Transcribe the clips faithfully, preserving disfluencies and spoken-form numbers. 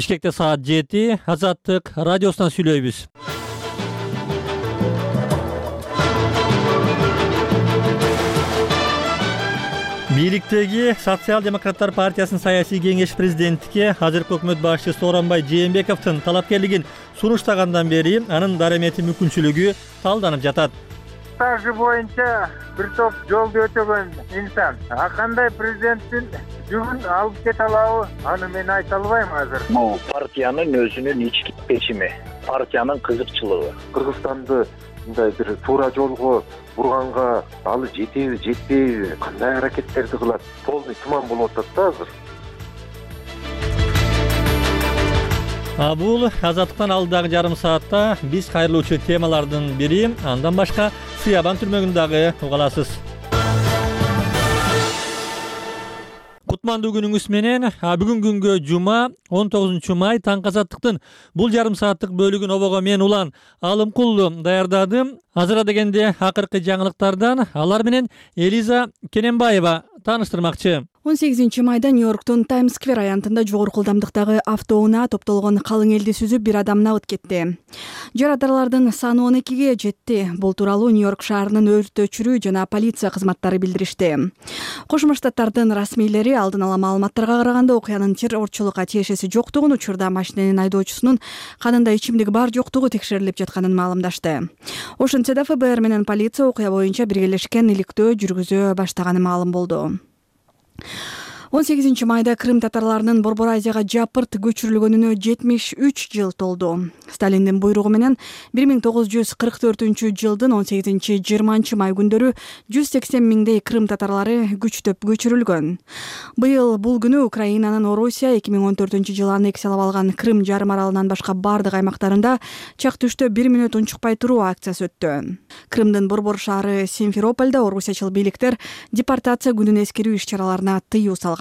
Бишкекте саат жети, Азаттык радиосунан сүйлөйбүз. Бийликтеги Социал-демократтар партиясынын саясий кеңеш президенттикке азыркы өкмөт башчысы Сооронбай Жээнбековдун талапкерлигин сунуштагандан бери анын дарамети мүмкүнчүлүгү талданып жатат. Стажы боюнча бир топ жолду өтөгөн инсан. А кандай президенттин жүгүн алып кете алабы? Аны мен айта албайм азыр. Бул партиянын өзүнүн ички чечими, партиянын кызыкчылыгы. Кыргызстанды мындай бир туура жолго бурганга алы жетеби, жетпейби, кандай аракеттерди кылат? Полный туман болуп атат да азыр. А бул Азаттыктан алдыдагы жарым саатта биз кайрылуучу темалардын бири. Андан башка Сыябан түрмөгүн дагы уга аласыз. Кутмандуу күнүңүз менен. Бүгүн күнгө жума он тогузунчу май таңкы Азаттыктын бул жарым сааттык бөлүгүн обого мен Улан Алымкулду даярдадым. Азыр дегенде акыркы жаңылыктардан алар менен Элиза Кененбаева тааныштырмакчы. он сегизинчи майда Нью-Йорктун Таймс-сквер аянтында жогорку ылдамдыктагы автоунаа топтолгон калың элди сүзүп бир адам набыт кетти. Жарааттарлардын саны он экиге жетти. Бул тууралуу Нью-Йорк шаарынын өрт өчүрүү жана полиция кызматтары билдиришти. Кошмо Штаттардын расмийлери алдын ала маалыматтарга караганда окуянын террорчулукка тиешеси жоктугун, учурда машиненин айдоочусунун канында ичимдик бар жоктугу текшерилип жатканын маалымдашты. Ошентсе да эф бэ эр менен полиция окуя боюнча биргелешкен иликтөө жүргүзө баштаганы маалым болду. он сегизинчи майда Крым татарларынын Борбор Азияга жапырт көчүрүлгөнүнө жетимиш үч жыл толду. Сталиндин буйругу менен бир миң тогуз жүз кырк төртүнчү жылдын он сегизинчи жыйырманчы май күндөрү жүз сексен миңдей Крым татарлары күчтөп көчүрүлгөн. Быйыл бул күнү Украинанын Орусия эки миң он төртүнчү жылы аннексиялап алган Крым жарым аралынан башка бардык аймактарында чак түштө бир мүнөт унчукпай туруу акциясы өттү. Крымдын борбор шаары Симферопольдо орусиячыл бийликтер депортация күнүн эскерүү иш-чараларына тыюу салган.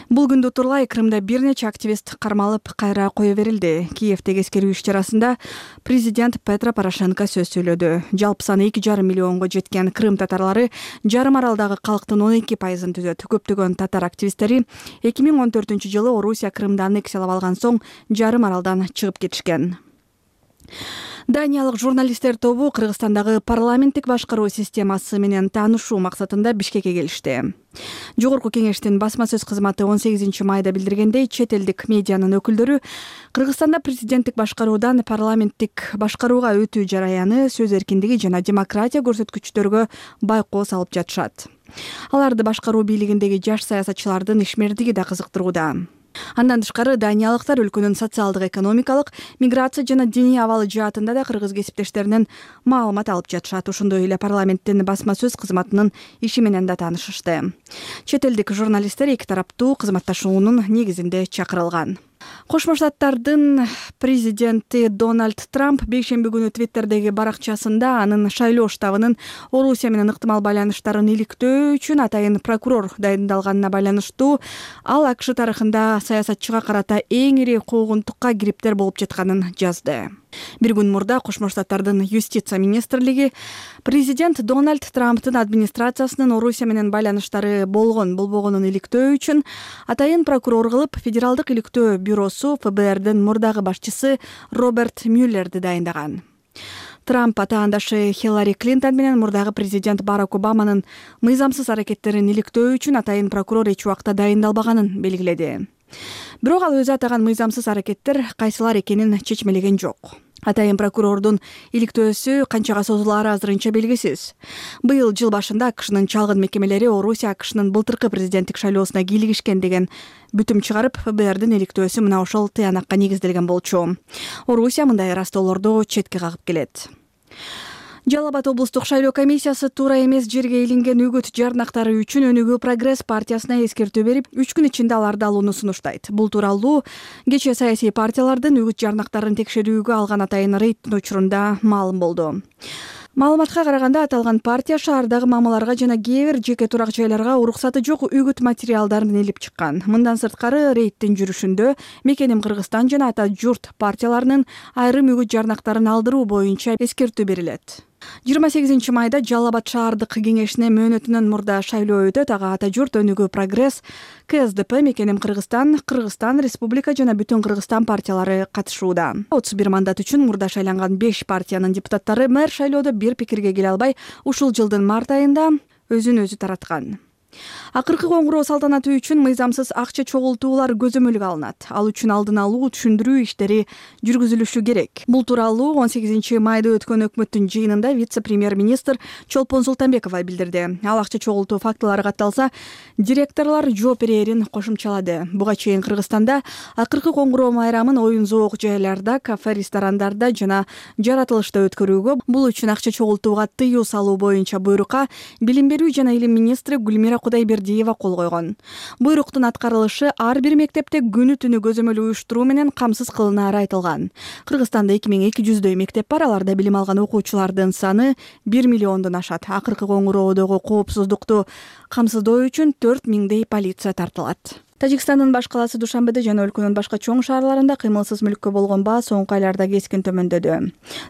Бул күндү турлай Крымда бир нече активист кармалып, кайра кое берилди. Киевдеги эскерүү иш-чарасында президент Петро Порошенко сөз сүйлөдү. Жалпы саны эки жарым миллионго жеткен Крым татарлары жарым аралдагы калктын он эки пайызын түзөт. Көптөгөн татар активисттери эки миң он төртүнчү жылы Орусия Крымды аннексиялап алган соң жарым аралдан чыгып кетишкен. Даниялык журналисттер тобу Кыргызстандагы парламенттик башкаруу системасы менен таанышуу максатында Бишкекке келишти. Жогорку кеңештин басма сөз кызматы он сегизинчи майда билдиргендей, чет элдик медианын өкүлдөрү Кыргызстанда президенттик башкаруудан парламенттик башкарууга өтүү жараяны, сөз эркиндиги жана демократия көрсөткүчтөргө байкоо салып жатышат. Аларды башкаруу бийлигиндеги жаш саясатчылардын ишмердиги да кызыктырууда. Андан тышкары даниялыктар өлкөнүн социалдык, экономикалык, миграция жана диний абалы жаатында да кыргыз кесиптештеринен маалымат алып жатышат. Ошондой эле парламенттин басма сөз кызматынын иши менен да таанышышты. Чет элдик журналисттер эки тараптуу кызматташуунун негизинде чакырылган. Кошмо Штаттардын президенти Дональд Трамп бейшемби күнү Твиттердеги баракчасында анын шайлоо штабынын Орусия менен ыктымал байланыштарын иликтөө үчүн атайын прокурор дайындалганына байланыштуу ал АКШ тарыхында саясатчыга карата эң ири куугунтукка кириптер болуп жатканын жазды. Бир күн мурда Кошмо Штаттардын юстиция министрлиги президент Дональд Трамптын администрациясынын Орусия менен байланыштары болгон болбогонун иликтөө үчүн атайын прокурор кылып федералдык иликтөө бюросу эф бэ эрдин мурдагы башчысы Роберт Мюллерди дайындаган. Трамп атаандашы Хиллари Клинтон менен мурдагы президент Барак Обаманын мыйзамсыз аракеттерин иликтөө үчүн атайын прокурор эч убакта дайындалбаганын белгиледи. Бирок ал өзү атаган мыйзамсыз аракеттер кайсылар экенин чечмелеген жок. Атайын прокурордун иликтөөсү канчага созулаары азырынча белгисиз. Быйыл жыл башында АКШнын чалгын мекемелери Орусия АКШнын былтыркы президенттик шайлоосуна кийлигишкен деген бүтүм чыгарып, эф бэ эрдин иликтөөсү мына ошол тыянакка негизделген болчу. Орусия мындай ыраазтоолорду четке кагып келет. Жалал Абад облустук шайлоо комиссиясы туура эмес жерге илинген үгүт жарнактары үчүн Өнүгүү Прогресс партиясына эскертүү берип, үч күн ичинде аларды алууну сунуштайт. Бул тууралуу кечээ саясий партиялардын үгүт жарнактарын текшерүүгө алган атайын рейдтин учурунда маалым болду. Маалыматка караганда аталган партия шаардагы мамаларга жана кээ бир жеке турак жайларга уруксаты жок үгүт материалдарын илип чыккан. Мындан сырткары рейдтин жүрүшүндө Мекеним Кыргызстан жана Ата журт партияларынын айрым үгүт жарнактарын алдыруу боюнча эскертүү берилет. жыйырма сегизинчи майда Жалал Абад шаардык кеңешине мөөнөтүнөн мурда шайлоо өтөт. Ага Ата журт, Өнүгүү, Прогресс, КСДП, Мекеним Кыргызстан, Кыргызстан Республика жана Бүтүн Кыргызстан партиялары катышууда. отуз бир мандат үчүн мурда шайланган беш партиянын депутаттары мэр шайлоодо бир пикирге келе албай, ушул жылдын март айында өзүн өзү тараткан. Акыркы коңгуроо салтанаты үчүн мыйзамсыз акча чогултуулар көзөмөлгө алынат. Ал үчүн алдын алуу, түшүндүрүү иштери жүргүзүлүшү керек. Бул тууралуу он сегизинчи майда өткөн өкмөттүн жыйынында вице-премьер-министр Чолпон Султанбеков билдирди. Ал акча чогултуу фактылары катталса, директорлор жооп берерин кошумчалады. Буга чейин Кыргызстанда акыркы коңгуроо майрамын оюн-зоок жайларда, кафе, ресторандарда жана жаратылышта өткөрүүгө, бул үчүн акча чогултууга тыюу салуу боюнча буйрукка Билим берүү жана илим министри Гүлмира Кудайбердиева кол койгон. Буйруктун аткарылышы ар бир мектепте күнү-түнү көзөмөл уюштуруу менен камсыз кылынаары айтылган. Кыргызстанда эки миң эки жүздөй мектеп бар, аларда билим алган окуучулардын саны бир миллиондон ашат. Акыркы коңгуроодогу коопсуздукту камсыздоо үчүн төрт миңдей полиция тартылат. Тажикстандын баш калаасы Душанбеде жана өлкөнүн башка чоң шаарларында кыймылсыз мүлккө болгон баа соңку айларда кескин төмөндөдү.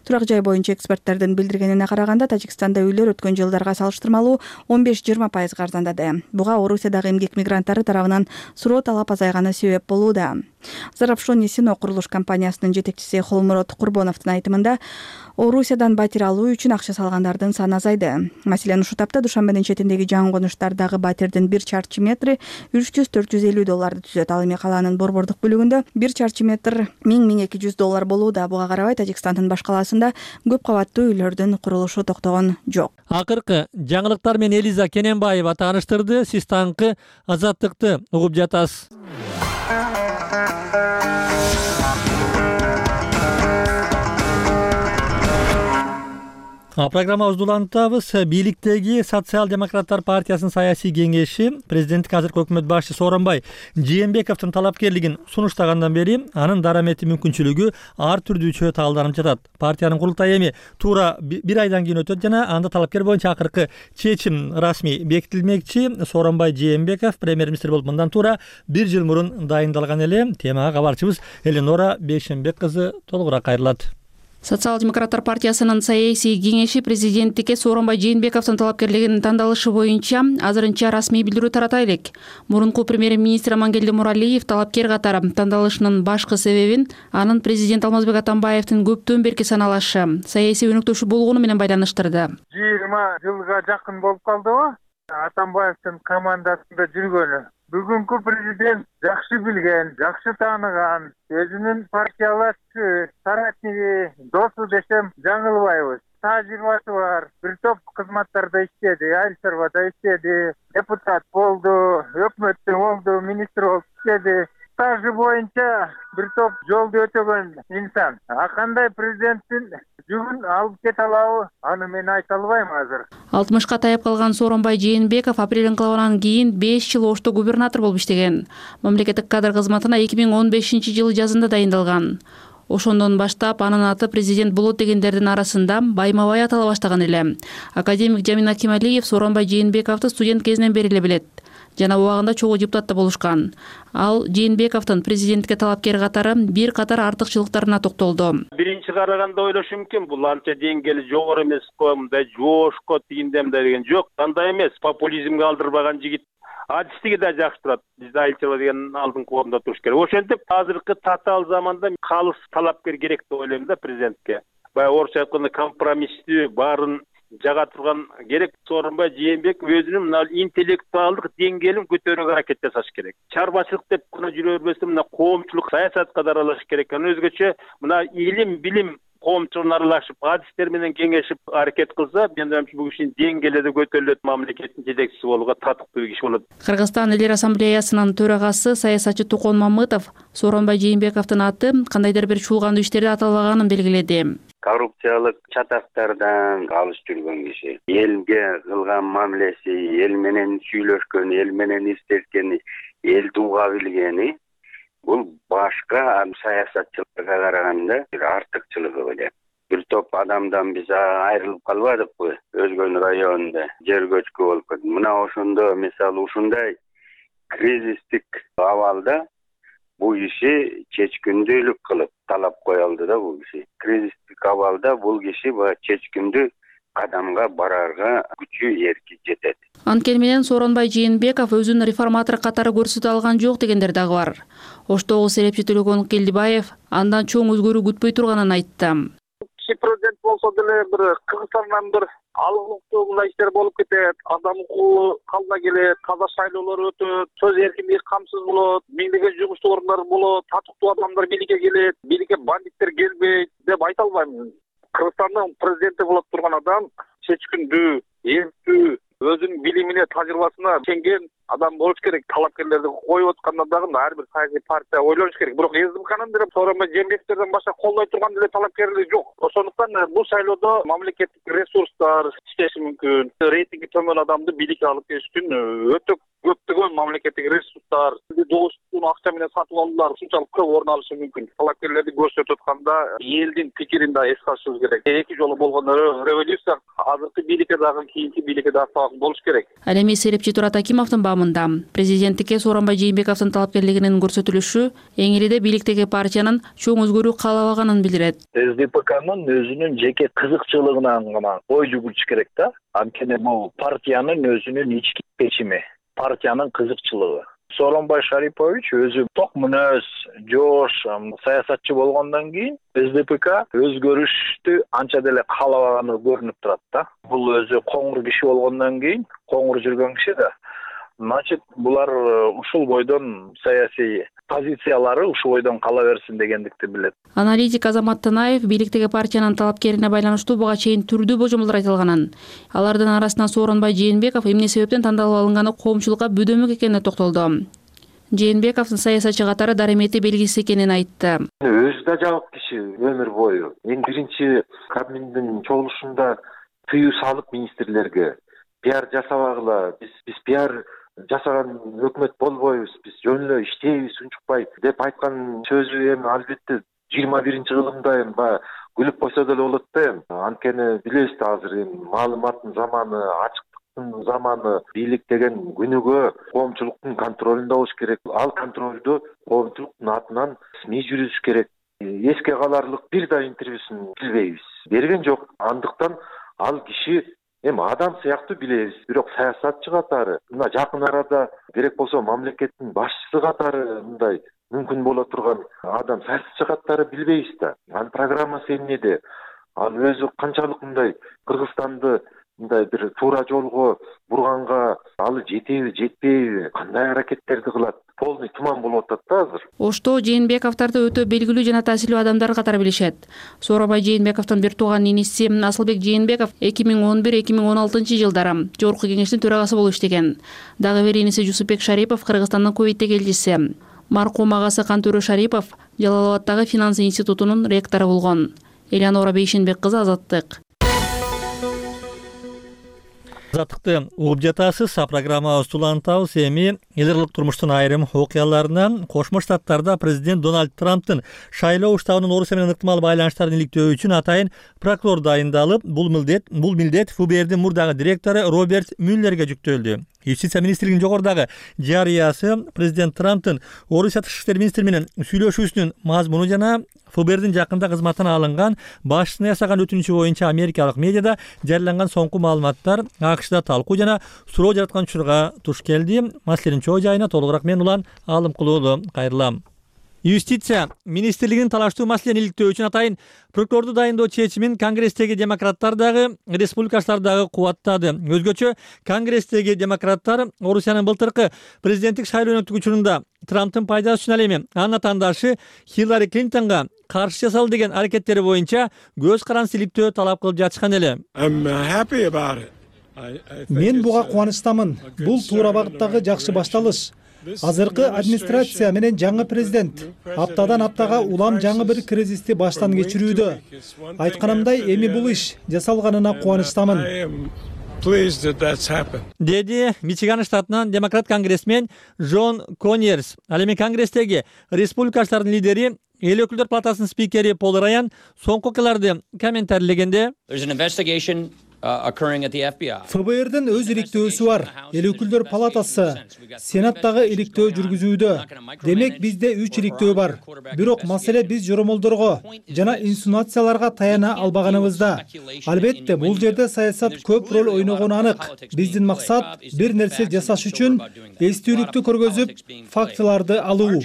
Турак жай боюнча эксперттердин билдиргенине караганда, Тажикстанда үйлөр өткөн жылдарга салыштырмалуу он беш жыйырма пайызга арзандады. Буга Орусиядагы эмгек мигранттары тарабынан суроо талап азайганы себеп болууда. Зарабшон Несино курулуш компаниясынын жетекчиси Холмурод Курбоновдун айтымында, Орусиядан батир алуу үчүн акча салгандардын саны азайды. Маселен, ушул тапта Душанбенин четиндеги жаңы конуштардагы батирдин бир чарчы метри үч жүз төрт жүз элүү долларды түзөт. Ал эми калаанын борбордук бөлүгүндө бир чарчы метр миң миң эки жүз доллар болууда. Буга карабай, Тажикстандын баш калаасында көп кабаттуу үйлөрдүн курулушу токтогон жок. Акыркы жаңылыктар менен Элиза Кененбаева тааныштырды. Сиз таңкы Азаттыкты угуп жатасыз. Программабызды улантабыз. Бийликтеги Социал-демократтар партиясынын саясий кеңеши президенттик азыркы өкмөт башчы Сооронбай Жээнбековдун талапкерлигин сунуштагандан бери анын дарамети мүмкүнчүлүгү ар түрдүүчө таалданып жатат. Партиянын курултайы эми туура бир айдан кийин өтөт жана анда талапкер боюнча акыркы чечим расмий бекитилмекчи. Сооронбай Жээнбеков премьер-министр болуп мындан туура бир жыл мурун дайындалган эле. Темага кабарчыбыз Эленора Бейшенбек кызы толугураак кайрылат. Социал-демократтар партиясынын саясий кеңеши президенттикке Сооронбай Жээнбековдун талапкерлигинин тандалышы боюнча азырынча расмий билдирүү тарата элек. Мурунку премьер-министр Амангелди Муралиев талапкер катары тандалышынын башкы себебин анын президент Алмазбек Атамбаевдин көптөн берки саналашы, саясий өнөктөшү болгону менен байланыштырды. жыйырма жылга жакын болуп калдыбы? Атамбаевдин командасында жүргөнү. Бүгүнкү президент жакшы билген, жакшы тааныган, өзүнүн партиялашчы, соратниги, досу десем жаңылбайбыз. Тажрыйбасы бар, бир топ кызматтарда иштеди, Айыл чарбада иштеди, депутат болду, өкмөттө болду, министр болуп иштеди. Стажы боюнча бир топ жолду өтөгөн инсан. А кандай президенттин жүгүн алып кете алабы, аны мен айта албайм азыр. алтымышка таяп калган Сооронбай Жээнбеков апрель инкылабынан кийин беш жыл Ошто губернатор болуп иштеген. Мамлекеттик кадр кызматына эки миң он бешинчи жылы жазында дайындалган. Ошондон баштап анын аты президент болот дегендердин арасында байма-бай атала баштаган эле. Академик Жамин Акималиев Сооронбай Жээнбековду студент кезинен бери эле билет жана убагында чогуу депутат да болушкан. Ал Жээнбековдун президентке талапкер катары бир катар артыкчылыктарына токтолду. Биринчи караганда ойлошум мүмкүн, бул анча деңгээли жогору эмес го, мындай жоошко тигиндей деген жок. Андай эмес, популизмге алдырбаган жигит. Адистиги да жакшы турат. Бизде Айыл чарба деген алдыңкы орунда туруш керек. Ошентип азыркы татаал заманда калыс талапкер керек деп ойлойм да президентке. Баягы орусча айтканда компромисстүү баарын жага турган керек. Сооронбай Жээнбеков өзүнүн мына интеллектуалдык деңгээлин көтөрүүгө аракет жасаш керек. Чарбачылык деп гана жүрө бербестен мына коомчулук саясатка да аралашыш керек. Анан өзгөчө мына илим, билим коомчулугуна аралашып, адистер менен кеңешип аракет кылса, мен ойлойм бул кишинин деңгээли да көтөрүлөт, мамлекеттин жетекчиси болууга татыктуу киши болот. Кыргызстан Элер ассамблеясынын төрагасы саясатчы Тукон Мамытов Сооронбай Жээнбековдун аты кандайдыр бир чуулгандуу иштерде аталбаганын белгиледи. Коррупциялык чатактардан алыс жүргөн киши, элге кылган мамилеси, эл менен сүйлөшкөн, эл менен иштешкени, эл тууга билгени бул башка саясатчыларга караганда бир артыкчылыгы беле. Бир топ адамдан биз айрылып калбадыкпы? Өзгөн районунда жер көчкү болуп кетти. Мына ошондо мисалы ушундай кризистик абалда бул киши чечкиндүүлүк кылып талап кое алды да бул киши. Кризистик абалда бул киши чечкиндүү кадамга барарга күчү эрки жетет. Анткени менен Сооронбай Жээнбеков өзүн реформатор катары көрсөтө алган жок дегендер дагы бар. Оштогу серепчи Төлөгөн Келдибаев андан чоң өзгөрүү күтпөй турганын айтты. Президент болсо деле бир Кыргызстандан бир алгылыктуу мындай иштер болуп кетет, адам укугу калына келет, таза шайлоолор өтөт, сөз эркиндиги камсыз болот, миңдеген жугуштуу орундар болот, татыктуу адамдар бийликке келет, бийликке бандиттер келбейт деп айта албайм. Кыргызстандын президенти болуп турган адам чечкиндүү, эрктүү, өзүнүн билимине, тажрыйбасына ишенген адам болуш керек. Талапкерлерди коюп атканда дагы ар бир саясий партия ойлош керек. Бирок СДПКнын деле Сооронбай Жээнбековден башка колдой турган деле талапкерлер жок. Ошондуктан бул шайлоодо мамлекеттик ресурстар иштеши мүмкүн. Рейтинги төмөн адамды бийликке алып келиш үчүн өтө көптөгөн мамлекеттик ресурстар, добустун акча менен сатып алуулар ушунчалык көп орун алышы мүмкүн. Талапкерлерди көрсөтүп атканда элдин пикирин да эске алышыбыз керек. Эки жолу болгон революция азыркы бийликке дагы, кийинки бийликке дагы сабак болуш керек. Ал эми серепчи Турат Акимовдун баамында президенттикке Сооронбай Жээнбековдун талапкерлигинин көрсөтүлүшү эң элиде бийликтеги партиянын чоң өзгөрүү каалабаганын билдирет. СДПКнын өзүнүн жеке кызыкчылыгынан гана ой жүгүрүш керек да. Анткени бул партиянын өзүнүн ички чечими, партиянын кызыкчылыгы. Сооронбай Шарипович өзү ток мүнөз, жоош саясатчы болгондон кийин СДПК өзгөрүштү анча деле каалабаганы көрүнүп турат да. Бул өзү коңур киши болгондон кийин, коңур жүргөн киши да. Значит, булар ушул бойдон саясий позициялары ушул бойдон кала берсин дегендикти билет. Аналитик Азамат Танаев бийликтеги партиянын талапкерине байланыштуу буга чейин түрдүү божомолдор айтылганын, алардын арасынан Сооронбай Жээнбеков эмне себептен тандалып алынганы коомчулукка бөдөмөк экенине токтолду. Жээнбековдун саясатчы катары даремети белгисиз экенин айтты. Өзү да жабык киши өмүр бою. Эң биринчи Кабминдин чогулушунда тыюу салып министрлерге пиар жасабагыла, биз биз пиар жасаган өкмөт болбойбуз, биз жөн эле иштейбиз, унчукпай деп айткан сөзү эми албетте жыйырма биринчи кылымда эми баягы күлүп койсо деле болот да эми. Анткени билебиз да азыр эми маалыматтын заманы, ачыктыктын заманы, бийлик деген күнүгө коомчулуктун контролунда болуш керек. Ал контролду коомчулуктун атынан СМИ жүргүзүш керек. Эске каларлык бир да интервьюсун билбейбиз, берген жок. Андыктан ал киши эми адам сыяктуу билебиз, бирок саясатчы катары, мына жакын арада керек болсо мамлекеттин башчысы катары мындай мүмкүн боло турган адам саясатчы катары билбейбиз да. Анын программасы эмнеде? Ал өзү канчалык мындай Кыргызстанды мындай бир туура жолго бурганга алы жетеби, жетпейби, кандай аракеттерди кылат? Полный туман болуп атат да азыр. Ошто Жээнбековдорду өтө белгилүү жана таасирлүү адамдар катары билишет. Сооронбай Жээнбековдун бир тууган иниси Асылбек Жээнбеков эки миң он бир эки миң он алтынчы жылдары Жогорку Кеңештин төрагасы болуп иштеген. Дагы бир иниси Жусупбек Шарипов Кыргызстандын Кувейттеги элчиси. Маркум агасы Кантөрө Шарипов Жалал-Абаддагы финанс институтунун ректору болгон. Элеонора Бейшенбек кызы, Азаттык. Азаттыкты угуп жатасыз. Программабыз улантабыз. Эми эл аралык турмуштун айрым окуяларынан Кошмо Штаттарда президент Дональд Трамптын шайлоо штабынын Орусия менен ыктымал байланыштарын иликтөө үчүн атайын прокурор дайындалып, бул милдет бул милдет ФБРдин мурдагы директору Роберт Мюллерге жүктөлдү. Юстиция министрлигинин жогорудагы жарыясы президент Трамптын Орусия тышкы иштер министри менен сүйлөшүүсүнүн мазмуну жана ФБРдин жакында кызматына алынган башчысына ясаган өтүнүчү боюнча америкалык медиада жарыяланган соңку маалыматтар АКШда талкуу жана суроо жараткан учурга туш келди. Маселенин чоо жайына толугураак мен Улан Алымкулуулу кайрылам. Юстиция министрлигинин талаштуу маселени иликтөө үчүн атайын прокурорду дайындоо чечимин Конгресстеги демократтар дагы, республикачылар дагы кубаттады. Өзгөчө Конгресстеги демократтар Орусиянын былтыркы президенттик шайлоонун өткөрүү учурунда Трамптын пайдасы үчүн ал эми анын атаандашы Хиллари Клинтонго каршы жасалды деген аракеттери боюнча көз каранды иликтөө талап кылып жатышкан эле. Мен буга кубанычтамын. Бул туура багыттагы жакшы башталыш. Азыркы администрация менен жаңы президент аптадан аптага улам жаңы бир кризисти баштан кечирүүдө. Айтканымдай, эми бул иш жасалганына кубанычтамын. Деди Мичиган штатынан демократ конгрессмен Джон Коньерс. Ал эми Конгресстеги республикачылардын лидери, эл өкүлдөр палатасынын спикери Пол Раян соңку окуяларды комментарийлегенде ФБРдин өз иликтөөсү бар. Эл өкүлдөр палатасы Сенаттагы иликтөө жүргүзүүдө. Демек бизде үч иликтөө бар. Бирок маселе биз жоромолдорго жана инсинуацияларга таяна албаганыбызда. Албетте, бул жерде саясат көп роль ойногону анык. Биздин максат бир нерсе жасаш үчүн эстүүлүктү көргөзүп, фактыларды алуу.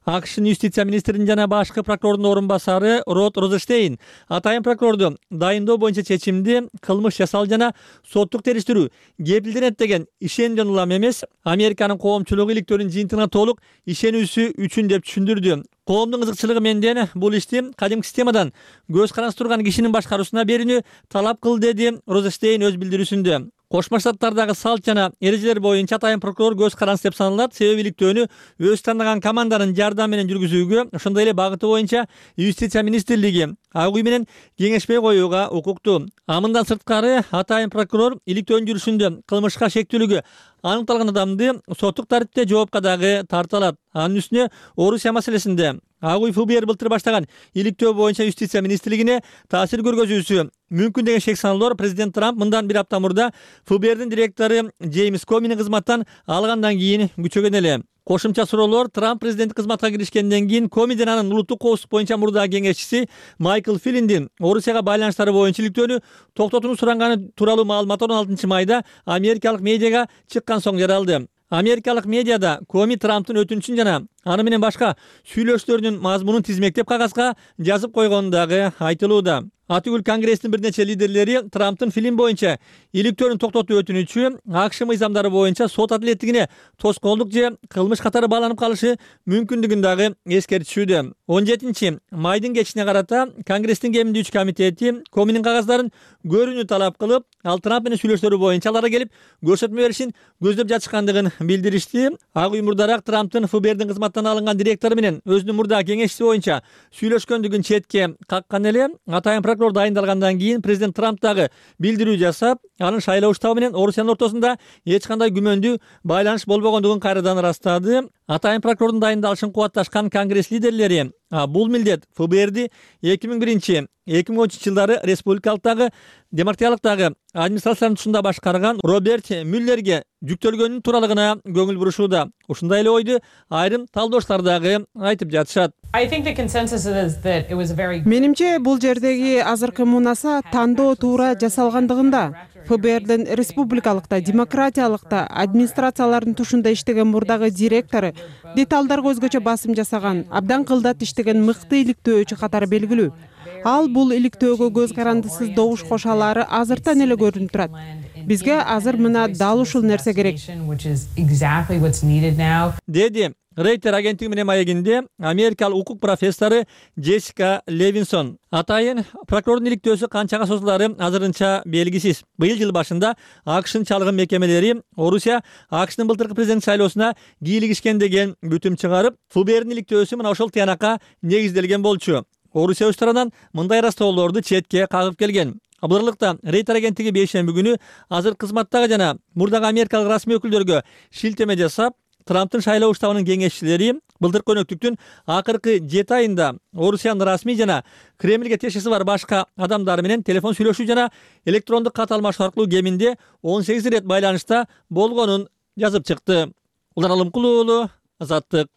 АКШнын юстиция министринин жана башкы прокурордун орун басары Род Розенштейн атайын прокурорду дайындоо боюнча чечимди кылмыш жасал жана соттук териштирүү кепилденет деген ишенден улам эмес, Американын коомчулугу иликтөөнүн жыйынтыгына толук ишенүүсү үчүн деп түшүндүрдү. Коомдун кызыкчылыгы менден бул ишти кадимки системадан көз каранды турган кишинин башкаруусуна берүүнү талап кыл, деди Розенштейн өз билдирүүсүндө. Кошмо Штаттардагы салт жана эрежелер боюнча атайын прокурор көз каранды деп саналат. Себеби иликтөөнү өз тандаган команданын жардамы менен жүргүзүүгө, ошондой эле багыты боюнча юстиция министрлиги ак үй менен кеңешпей коюуга укуктуу. А мындан сырткары атайын прокурор иликтөөнүн жүрүшүндө кылмышка шектүүлүгү аныкталган адамды соттук тартипте жоопка дагы тарта алат. Анын үстүнө Орусия маселесинде ак үй ФБР былтыр баштаган иликтөө боюнча юстиция министрлигине таасир көргөзүүсү мүмкүн деген шек саноолор президент Трамп мындан бир апта мурда ФБРдин директору Джеймс Комини кызматтан алгандан кийин күчөгөн эле. Кошумча суроолор Трамп президенттик кызматка киришкенден кийин Комиден анын улуттук коопсуздук боюнча мурдагы кеңешчиси Майкл Флиндин Орусияга байланыштары боюнча иликтөөнү токтотууну суранганы тууралуу маалымат он алтынчы майда америкалык медиага чыккан соң жаралды. Америкалык медиада Коми Трамптын өтүнүчүн жана аны менен башка сүйлөшүүлөрүнүн мазмунун тизмектеп кагазга жазып койгону дагы айтылууда. Атүгүл Конгресстин бир нече лидерлери Трамптын фильм боюнча иликтөөнү токтотуу өтүнүчү АКШ мыйзамдары боюнча сот адилеттигине тоскоолдук же кылмыш катары байланып калышы мүмкүндүгүн дагы эскертишүүдө. он жетинчи майдын кечине карата Конгресстин кеминде үч комитети Коминин кагаздарын көрүүнү талап кылып, ал Трамп менен сүйлөшүүлөрү боюнча аларга келип көрсөтмө беришин көздөп жатышкандыгын билдиришти. Ак үй мурдараак Трамптын ФБРдин кызматтан алынган директору менен өзүнүн мурдагы кеңешчиси боюнча сүйлөшкөндүгүн четке каккан эле. Атайын прокурор дайындалгандан кийин президент Трамп дагы билдирүү жасап, анын шайлоо уштабы менен Орусиянын ортосунда эч кандай күмөндүү байланыш болбогондугун кайрадан ырастады. Атайын прокурордун дайындалышын кубатташкан Конгресс лидерлери бул милдет ФБРди эки миң биринчи эки миң он үчүнчү жылдары республикалыктагы демократиялыктагы администрациянын тушунда башкарган Роберт Мюллерге жүктөлгөнүнүн тууралыгына көңүл бурушууда. Ушундай эле ойду айрым талдоочулар дагы айтып жатышат. Менимче бул жердеги азыркы мунаса тандоо туура жасалгандыгында. ФБРдин республикалыкта, демократиялыкта администрациялардын тушунда иштеген мурдагы директору деталдарга өзгөчө басым жасаган, абдан кылдат иштеген мыкты иликтөөчү катары белгилүү. Ал бул иликтөөгө көз карандысыз добуш кошалары азыртан эле көрүнүп турат. Бизге азыр мына дал ушул нерсе керек, деди Рейтер агенттиги менен маегинде америкалык укук профессору Джессика Левинсон. Атайын прокурордун иликтөөсү канчага созулары азырынча белгисиз. Быйыл жыл башында АКШнын чалгын мекемелери Орусия АКШнын былтыркы президент шайлоосуна кийлигишкен деген бүтүм чыгарып, ФБРдин иликтөөсү мына ошол тыянакка негизделген болчу. Орусия өз тарабынан мындай ырастоолорду четке кагып келген. Абдырлыкта Рейтер агенттиги бейшемби күнү азыр кызматтагы жана мурдагы америкалык расмий өкүлдөргө шилтеме жасап, Трамптын шайлоо уштабынын кеңешчилери былтыркы өнөктүктүн акыркы жети айында Орусиянын расмий жана Кремльге тиешеси бар башка адамдар менен телефон сүйлөшүү жана электрондук кат алмашуу аркылуу кеминде он сегиз ирет байланышта болгонун жазып чыкты. Улан Алымкулуу уулу, Азаттык.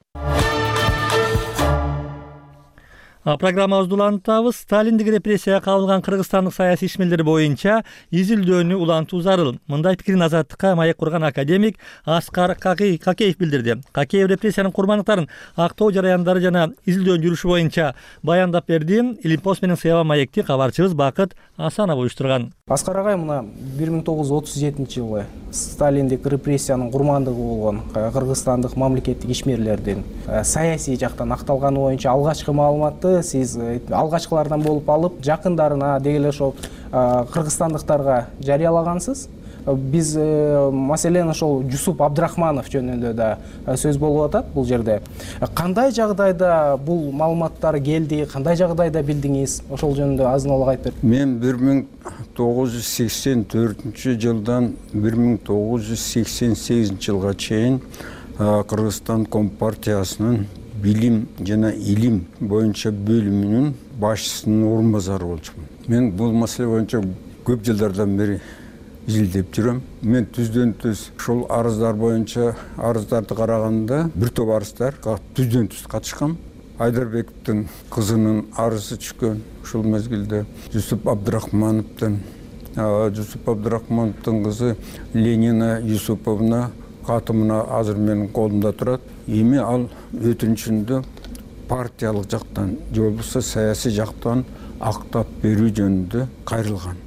Программабызды улантабыз. Сталиндик репрессияга кабылган кыргызстандык саясий ишмерлер боюнча изилдөөнү улантуу зарыл. Мындай пикирин Азаттыкка маек курган академик Аскар Какеев билдирди. Какеев репрессиянын курмандыктарын актоо жараяндары жана изилдөөнүн жүрүшү боюнча баяндап берди. Илимпост менен Сыяба маекти кабарчыбыз Бакыт Асанов уюштурган. Аскар агай мына бир миң тогуз жүз отуз жетинчи жылы Сталиндик репрессиянын курмандыгы болгон кыргызстандык мамлекеттик ишмерлердин саясий жактан акталганы боюнча алгачкы маалыматты сиз алгачкылардан болуп алып, жакындарына деги эле ошол кыргызстандыктарга жарыялагансыз. Биз маселен ошол Жусуп Абдрахманов жөнүндө да сөз болуп атат бул жерде. Кандай жагдайда бул маалыматтар келди, кандай жагдайда билдиңиз? Ошол жөнүндө азын-аулак айтып бериңиз. Мен бир миң тогуз жүз сексен төртүнчү жылдан бир миң тогуз жүз сексен сегизинчи жылга чейин Кыргызстан Компартиясынын билим жана илим боюнча бөлүмүнүн башчысынын орун базары болчумун. Мен бул маселе боюнча көп жылдардан бери изилдеп жүрөм. Мен түздөн түз ушул арыздар боюнча арыздарды караганда бир топ арыздар түздөн түз катышкан. Айдарбековдун кызынын арызы түшкөн. Ушул мезгилде Жусуп Абдрахмановдун Жусуп Абдрахмановдун кызы Ленина Юсуповна катымына азыр менин колумда турат. Эми ал өтүнүчүндө партиялык жактан же болбосо саясий жактан актап берүү жөнүндө кайрылган.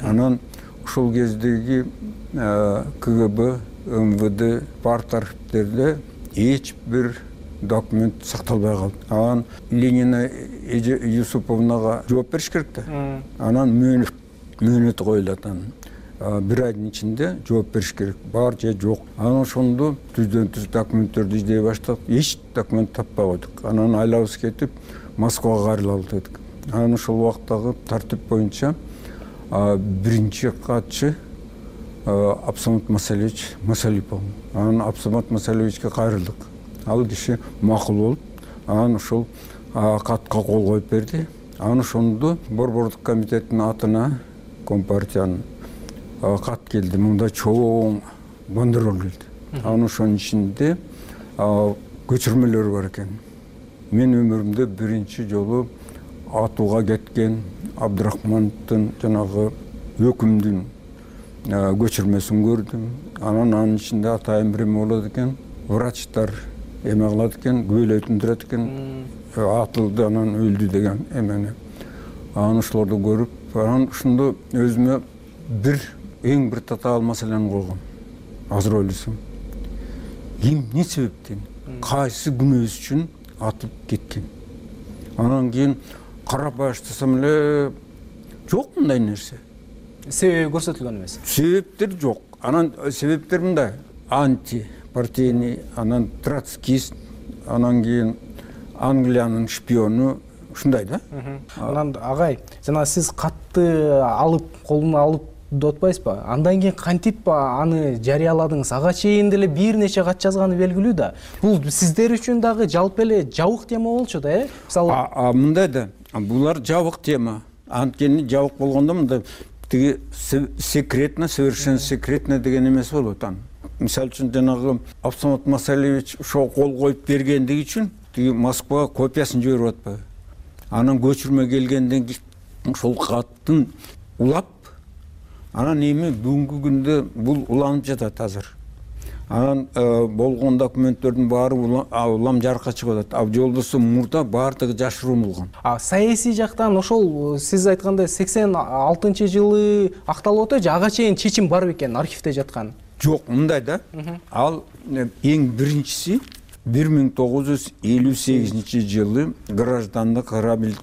Анан ушул кездеги КГБ, МВД, парт архивдерде эч бир документ сакталбай калды. Анан Ленина Юсуповнага жооп бериш керек да. Анан мөөнөт мөөнөт коюлат анан. Бир айдын ичинде жооп бериш керек. Бар же жок. Анан ошондо түздөн түз документтерди издей баштадык. Эч документ таппай койдук. Анан айлабыз кетип Москвага кайрылалы дедик. Анан ошол убактагы тартип боюнча биринчи катчы Абсамат Масалевич Масалипов. Анан Абсамат Масалевичке кайрылдык. Ал киши макул болуп, анан ошол катка кол коюп берди. Анан ошондо Борбордук комитеттин атына Компартиянын кат келди. Мында чоң бандерол келди. Анан ошонун ичинде көчүрмөлөр бар экен. Мен өмүрүмдө биринчи жолу атууга кеткен Абдрахмановдун жанагы өкүмдүн көчүрмөсүн көрдүм. Анан анын ичинде атайын бир эме болот экен. Врачтар эме кылат экен, күбөлөйтүндүрөт экен. Атылды, анан өлдү деген эмени. Анан ошолорду көрүп, анан ошондо өзүмө бир эң бир татаал маселени койгом. Азыр ойлосом. Ким эмне себептен, кайсы күнөөсү үчүн атып кеткен? Анан кийин карап баштасам эле жок мындай нерсе. Себеби көрсөтүлгөн эмес. Себептер жок. Анан себептер мындай: анти партийный, анан троцкист, анан кийин Англиянын шпиону, ушундай да. Анан агай, жана сиз катты алып, колуна алып деп атпайсызбы? Андан кийин кантип аны жарыяладыңыз? Ага чейин деле бир нече кат жазганы белгилүү да. Бул сиздер үчүн дагы жалпы эле жабык тема болчу да, э? Мисалы, а мындай да, булар жабык тема. Анткени жабык болгондо мындай тиги секретно, совершенно секретно деген эмес болот аны. Мисалы үчүн жанагы Абсамат Масалевич ошо кол коюп бергендиги үчүн тиги Москвага копиясын жиберип атпайбы? Анан көчүрмө келгенден кийин ошол каттын улап, анан эми бүгүнкү күндө бул уланып жатат азыр. Анан болгон документтердин баары улам жарыкка чыгып атат. А жолдосу мурда баардыгы жашыруун болгон. А саясий жактан ошол сиз айткандай сексен алтынчы жылы акталып атат же ага чейин чечим бар бекен архивде жаткан? Жок, мындай да. Ал эң биринчиси бир миң тогуз жүз элүү сегизинчи жылы граждандык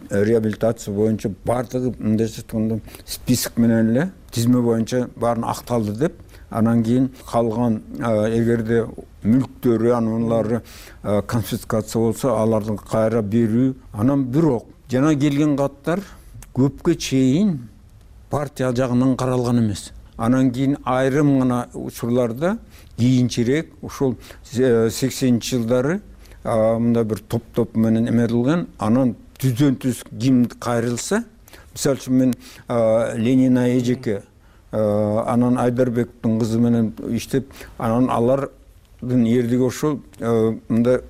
реабилитация боюнча баардыгы мындай айтканда список менен эле тизме боюнча баарын акталды деп, анан кийин калган эгерде мүлктөрү аналары конфискация болсо аларды кайра берүү. Анан бирок жана келген каттар көпкө чейин партия жагынан каралган эмес. Анан кийин айрым гана учурларда кийинчерээк ушул сексенинчи жылдары мында бир топ-топ менен эметилген. Анан түздөн түз ким кайрылса, мисалы үчүн мен Ленина эжеке, анан Айдарбековдун кызы менен иштеп, анан алардын эрдиги ошол мында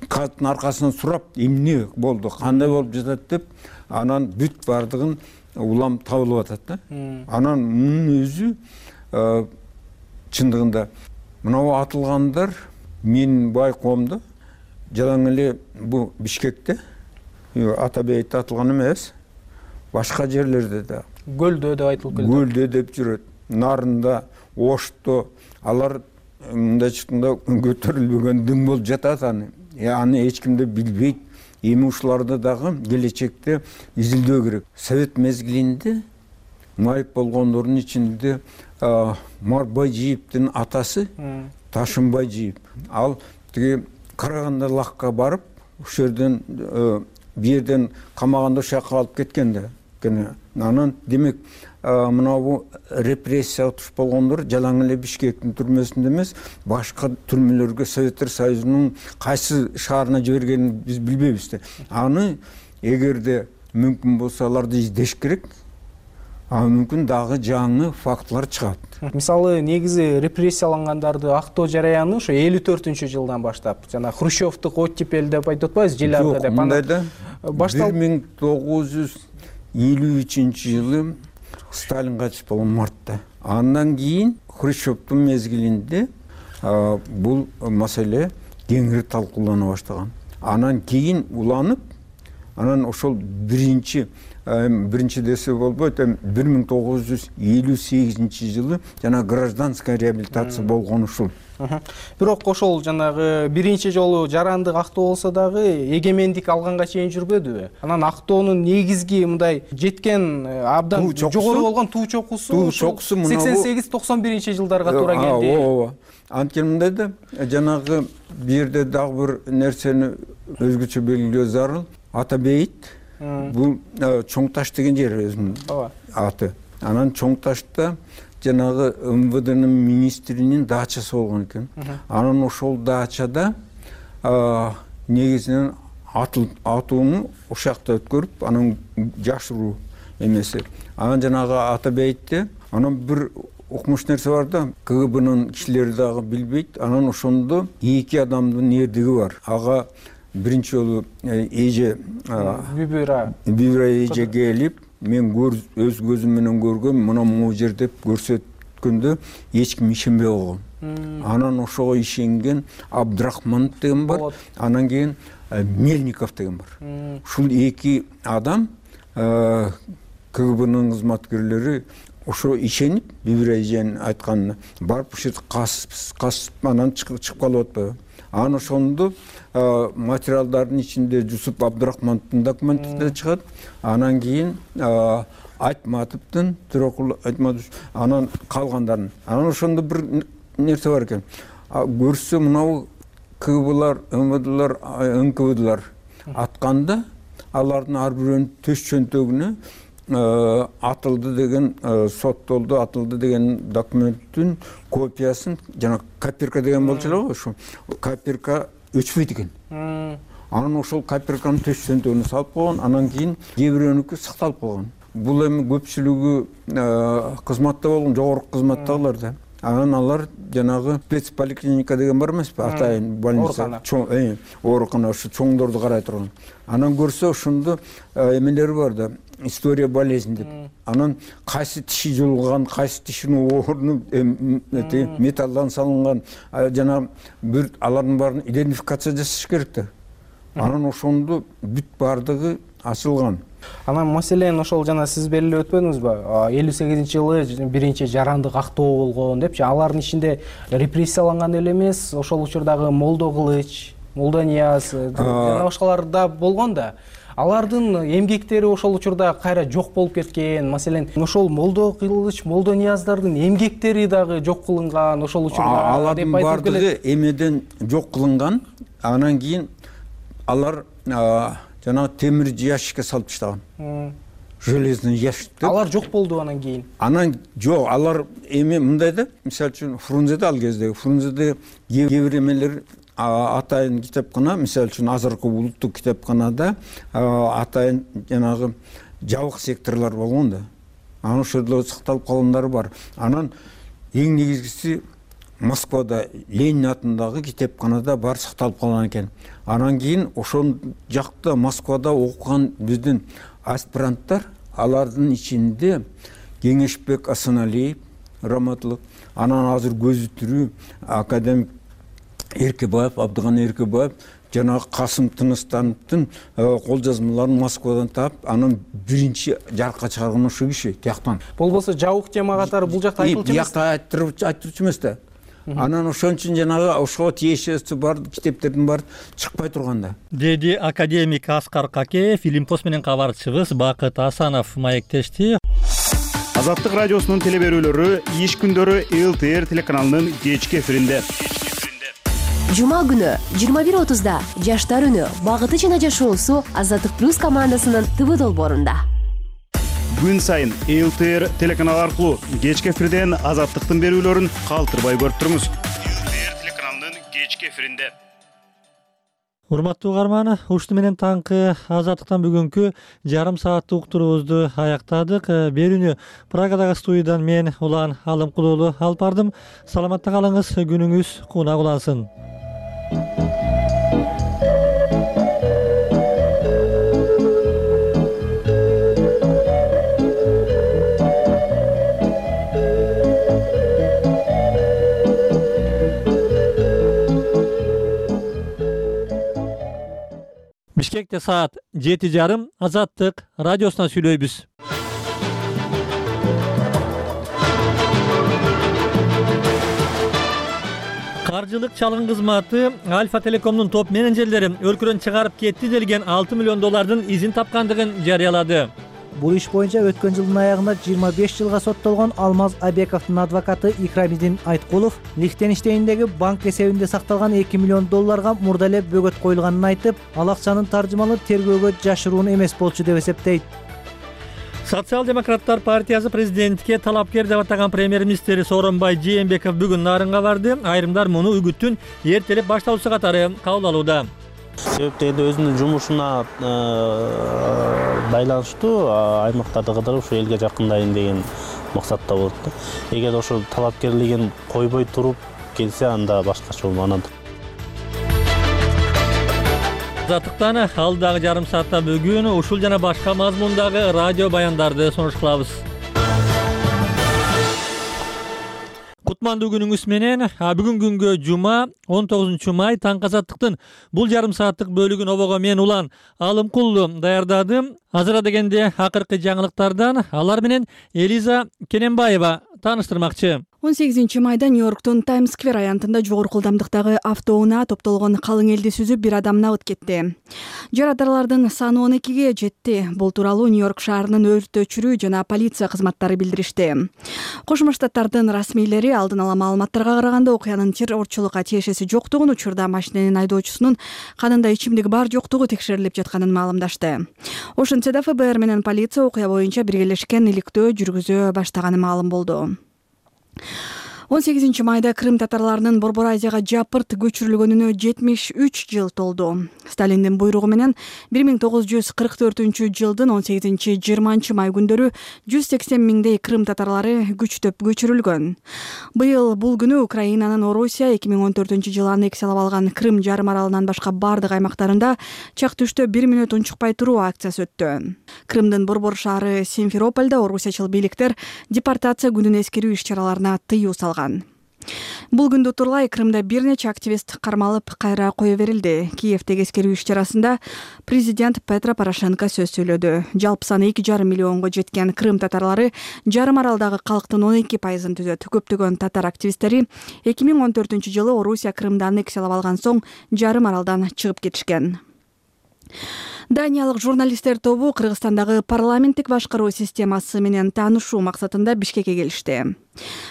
каттын аркасынан сурап, эмне болду, кандай болуп жатат деп, анан бүт бардыгын улам табылып атат да. Анан мунун өзү чындыгында мынау атылгандар менин байкоомдо жалаң эле бу Бишкекте, Атабейте атылган эмес, башка жерлерде да. Көлдө деп айтылып келди. Көлдө деп жүрөт. Нарында, Ошто, алар мындай чыкканда көтөрүлбөгөн дың болуп жатат аны. Аны эч ким да билбейт. Эми ушуларды дагы келечекте изилдөө керек. Совет мезгилинде майып болгондордун ичинде Марбайжиевдин атасы Ташынбайжиев. Ал тиги Караганда лакка барып, ошол жерден бир жерден камаганда ошол жака алып кеткен да. Кene Анан демек мынабу репрессияга туш болгондор жалаң эле Бишкектин түрмөсүндө эмес, башка түрмөлөргө Советтер Союзунун кайсы шаарына жибергенин биз билбейбиз да. Аны эгерде мүмкүн болсо аларды издеш керек. А мүмкүн дагы жаңы фактылар чыгат. Мисалы негизи репрессиялангандарды актоо жараяны ошо элүү төртүнчү жылдан баштап, жана Хрущевдук оттепель деп айтып атпайбыз, Желярда деп. Мындайда бир миң тогуз жүз элүү үчүнчү жылы Сталин кайтыш болгон мартта. Андан кийин Хрущевдун мезгилинде бул маселе кеңири талкуулана баштаган. Анан кийин уланып, анан ошол биринчи биринчи десе болбойт, бир миң тогуз жүз элүү сегизинчи жылы жана гражданская реабилитация болгон ушул. Бирок ошол жанагы биринчи жолу жарандык актоо болсо дагы эгемендик алганга чейин жүрбөдүбү? Анан актоонун негизги мындай жеткен абдан жогору болгон туу чокусу сексен сегиз токсон биринчи жылдарга туура келди. Ооба. Анткени мындай да, жанагы бу жерде дагы бир нерсени өзгөчө белгилөө зарыл. Ата бейит, бул Чоң таш деген жер өзүнүн аты. Анан Чоң ташта жанагы эм вэ дэнин министринин дачасы болгон экен. Анан ошол дачада негизинен атууну ушакта өткөрүп, анан жашыруу эмеси. Анан жанагы Ата бейтте анан бир укмуш нерсе бар да, ка гэ бэнин кишилери дагы билбейт. Анан ошондо эки адамдын эрдиги бар. Ага биринчи жолу эже Бибира Бибира эже келип, мен өз көзүм менен көргөм, мына могу жер деп көрсөткөндө эч ким ишенбей койгон. Анан ошого ишенген Абдрахманов деген бар, анан кийин Мельников деген бар. Ушул эки адам ка гэ бэнин кызматкерлери ошо ишенип, Бибира эженин айтканына барып ушул касып анан чыгып калып атпайбы. Анан ошондо материалдардын ичинде Жусуп Абдрахмановдун документи да чыгат. Анан кийин Айтматовдун, Төрөкул Айтматов, анан калгандарын. Анан ошондо бир нерсе бар экен. Көрсө мынабу ка гэ бэлар, эм вэ дэлар, эн ка вэ дэлар атканда алардын ар бирөөнүн төш чөнтөгүнө атылды деген, соттолду, атылды деген документтин копиясын, жана копирка деген болчу эле го, ошо копирка өчпөйт экен. Анан ошол копирканын төш чөнтөгүнө салып койгон, анан кийин кээ бирөөнүкү сакталып калган. Бул эми көпчүлүгү кызматта болгон, жогорку кызматтагылар да. Анан алар жанагы спецполиклиника деген бар эмеспи, атайын больница, чоң оорукана, ошо чоңдорду карай турган. Анан көрсө ошондо эмелери бар да, история болезнь деп. Анан кайсы тиши жулган, кайсы тишинин орну металлдан салынган, жана бир алардын баарын идентификация жасаш керек да. Анан ошондо бүт бардыгы ачылган. Анан маселен ошол жана сиз белгилеп өтпөдүңүзбү? элүү сегизинчи жылы биринчи жарандык актоо болгон депчи. Алардын ичинде репрессияланган эле эмес, ошол учурдагы Молдо Кылыч, Молдо Нияз жана башкалар да болгон да. Алардын эмгектери ошол учурда кайра жок болуп кеткен. Маселен, ошол Молдо Кылыч, Молдо Нияздардын эмгектери дагы жок кылынган ошол учурда. Алардын бардыгы эмеден жок кылынган. Анан кийин алар жана темир ящикке салып таштаган. Железный ящик. Алар жок болду анан кийин. Анан жок, алар эме мындай да, мисалы үчүн Фрунзеде ал кезде, Фрунзеде кээ бир эмелер атайын китепкана, мисалы үчүн азыркы улуттук китепканада атайын жанагы жабык секторлор болгон да. Анан ошол сакталып калгандары бар. Анан эң негизгиси Москвада Ленин атындагы китепканада бар сакталып калган экен. Анан кийин ошол жакта Москвада окуган биздин аспиранттар, алардын ичинде Кеңешбек Асаналиев, раматлык, анан азыр көзү тирүү академик Эркебаев, Абдыган Эркебаев, жана Касым Тыныстановдун кол жазмаларын Москвадан таап, анан биринчи жарыкка чыгарган ошо киши тияктан. Болбосо жабык тема катары бул жакта айтылчу эмес. Бияқта айтырчу эмес да. Анан ошон үчүн жанагы ошого тиешеси бар китептердин баары чыкпай турганда. Деди академик Аскар Какеев, Илимпос менен кабарчыбыз Бакыт Асанов маектешти. Азаттык радиосунун телеберүүлөрү иш күндөрү эл тэ эр телеканалынын кечки эфиринде. Жума күнү жыйырма бир отузда Жаштар үнү багыты жана жашоосу Азаттык плюс командасынын тэ вэ долбоорунда. күн сайын эл тэ эр телеканалы аркылуу кечки эфирден Азаттыктын берүүлөрүн калтырбай көрүп туруңуз. эл тэ эр телеканалынын кечки эфиринде. Урматтуу угарман, ушуну менен таңкы Азаттыктан бүгүнкү жарым сааттык уктуруубузду аяктадык. Берүүнү Прагадагы студиядан мен Улан Алымкул уулу алып бардым. Саламатта калыңыз, күнүңүз кунак улансын. Бишкекте саат жети жарым Азаттык радиосунан сүйлөйбүз. Каржылык чалгын кызматы Альфа Телекомдун топ менеджерлери өлкөдөн чыгарып кетти делген алты миллион доллардын изин тапкандыгын жарыялады. Бул иш боюнча өткөн жылдын аягында жыйырма беш жылга соттолгон Алмаз Абековдун адвокаты Икрамидин Айткулов Лихтенштейндеги банк эсебинде сакталган эки миллион долларга мурда эле бөгөт коюлганын айтып, ал акчанын таржымалы тергөөгө жашыруун эмес болчу деп эсептейт. Социал-демократтар партиясы президентке талапкер деп атаган премьер-министр Сооронбай Жээнбеков бүгүн Нарынга барды. Айрымдар муну үгүттүн эртелеп башталуусу катары кабыл алууда. Себепти энди өзүнүн жумушуна байланыштуу аймактарды кыдырып ушу элге жакындайын деген максатта болот да. Эгер ошол талапкерлигин койбой туруп келсе, анда башкача болмок. Азаттыктан алдагы жарым саатта бүгүн ушул жана башка мазмундагы радио баяндарды сунуш кылабыз. Кутмандуу күнүңүз менен, бүгүн күнгө жума он тогузунчу май таңкы Азаттыктын бул жарым сааттык бөлүгүн обого мен Улан Алымкул даярдадым. Азыр дегенде акыркы жаңылыктардан алар менен Элиза Кененбаева тааныштырмакчы. он сегизинчи майда Нью-Йорктун Таймс-сквер аянтында жогорку ылдамдыктагы автоунаа топтолгон калың элди сүзүп бир адам набыт кетти. Жарадаарлардын саны он экиге жетти. Бул тууралуу Нью-Йорк шаарынын өрт өчүрүү жана полиция кызматтары билдиришти. Кошмо Штаттардын расмийлери алдын ала маалыматтарга караганда окуянын террорчулукка тиешеси жоктугун, учурда машиненин айдоочусунун канында ичимдик бар жоктугу текшерилип жатканын маалымдашты. Ошентсе да эф бэ эр менен полиция окуя боюнча биргелешкен иликтөө жүргүзө баштаганы маалым болду. он сегизинчи майда Крым татарларынын Борбор Азияга жапырт көчүрүлгөнүнө жетимиш үч жыл толду. Сталиндин буйругу менен бир миң тогуз жүз кырк төртүнчү жылдын он сегизинчи жыйырманчы май күндөрү жүз сексен миңдей Крым татарлары күчтөп көчүрүлгөн. Быйыл бул күнү Украинанын Орусия эки миң он төртүнчү жылы аннексиялап алган Крым жарым аралынан башка бардык аймактарында чак түштө бир мүнөт унчукпай туруу акциясы өттү. Крымдын борбор шаары Симферопольдо орусиячыл бийликтер депортация күнүн эскерүү иш-чараларына тыюу салган. Бул күндү турлай Крымда бир нече активист кармалып, кайра кое берилди. Киевдеги эскерүү иш-чарасында президент Петро Порошенко сөз сүйлөдү. Жалпы саны эки жарым миллионго жеткен Крым татарлары жарым аралдагы калктын он эки пайызын түзөт. Көптөгөн татар активисттери эки миң он төртүнчү жылы Орусия Крымды аннексиялап алган соң жарым аралдан чыгып кетишкен. Даниялык журналисттер тобу Кыргызстандагы парламенттик башкаруу системасы менен таанышуу максатында Бишкекке келишти.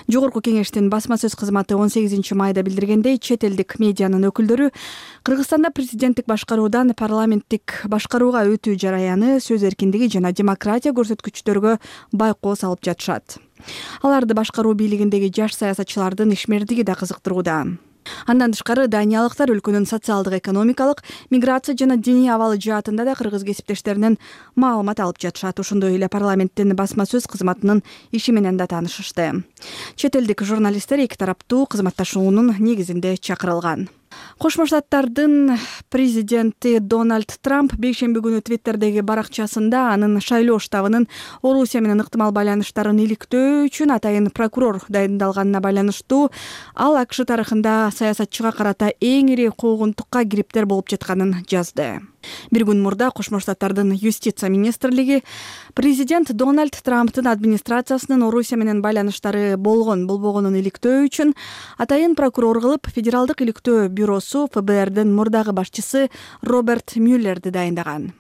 Жогорку кеңештин басма сөз кызматы он сегизинчи майда билдиргендей, чет элдик медианын өкүлдөрү Кыргызстанда президенттик башкаруудан парламенттик башкарууга өтүү жараяны, сөз эркиндиги жана демократия көрсөткүчтөргө байкоо салып жатышат. Аларды башкаруу бийлигиндеги жаш саясатчылардын ишмердиги да кызыктырууда. Андан тышкары даниялыктар өлкөнүн социалдык, экономикалык, миграция жана диний абалы жаатында да кыргыз кесиптештеринен маалымат алып жатышат. Ошондой эле парламенттин басма сөз кызматынын иши менен да таанышышты. Чет элдик журналисттер эки тараптуу кызматташуунун негизинде чакырылган. Кошмо Штаттардын президенти Дональд Трамп бейшемби күнү Твиттердеги баракчасында анын шайлоо штабынын Орусия менен ыктымал байланыштарын иликтөө үчүн атайын прокурор дайындалганына байланыштуу ал АКШ тарыхында саясатчыга карата эң ири куугунтукка кириптер болуп жатканын жазды. Бир күн мурда Кошмо Штаттардын юстиция министрлиги президент Дональд Трамптын администрациясынын Орусия менен байланыштары болгон болбогонун иликтөө үчүн атайын прокурор кылып федералдык иликтөө бюросу эф бэ эрдин мурдагы башчысы Роберт Мюллерди дайындаган.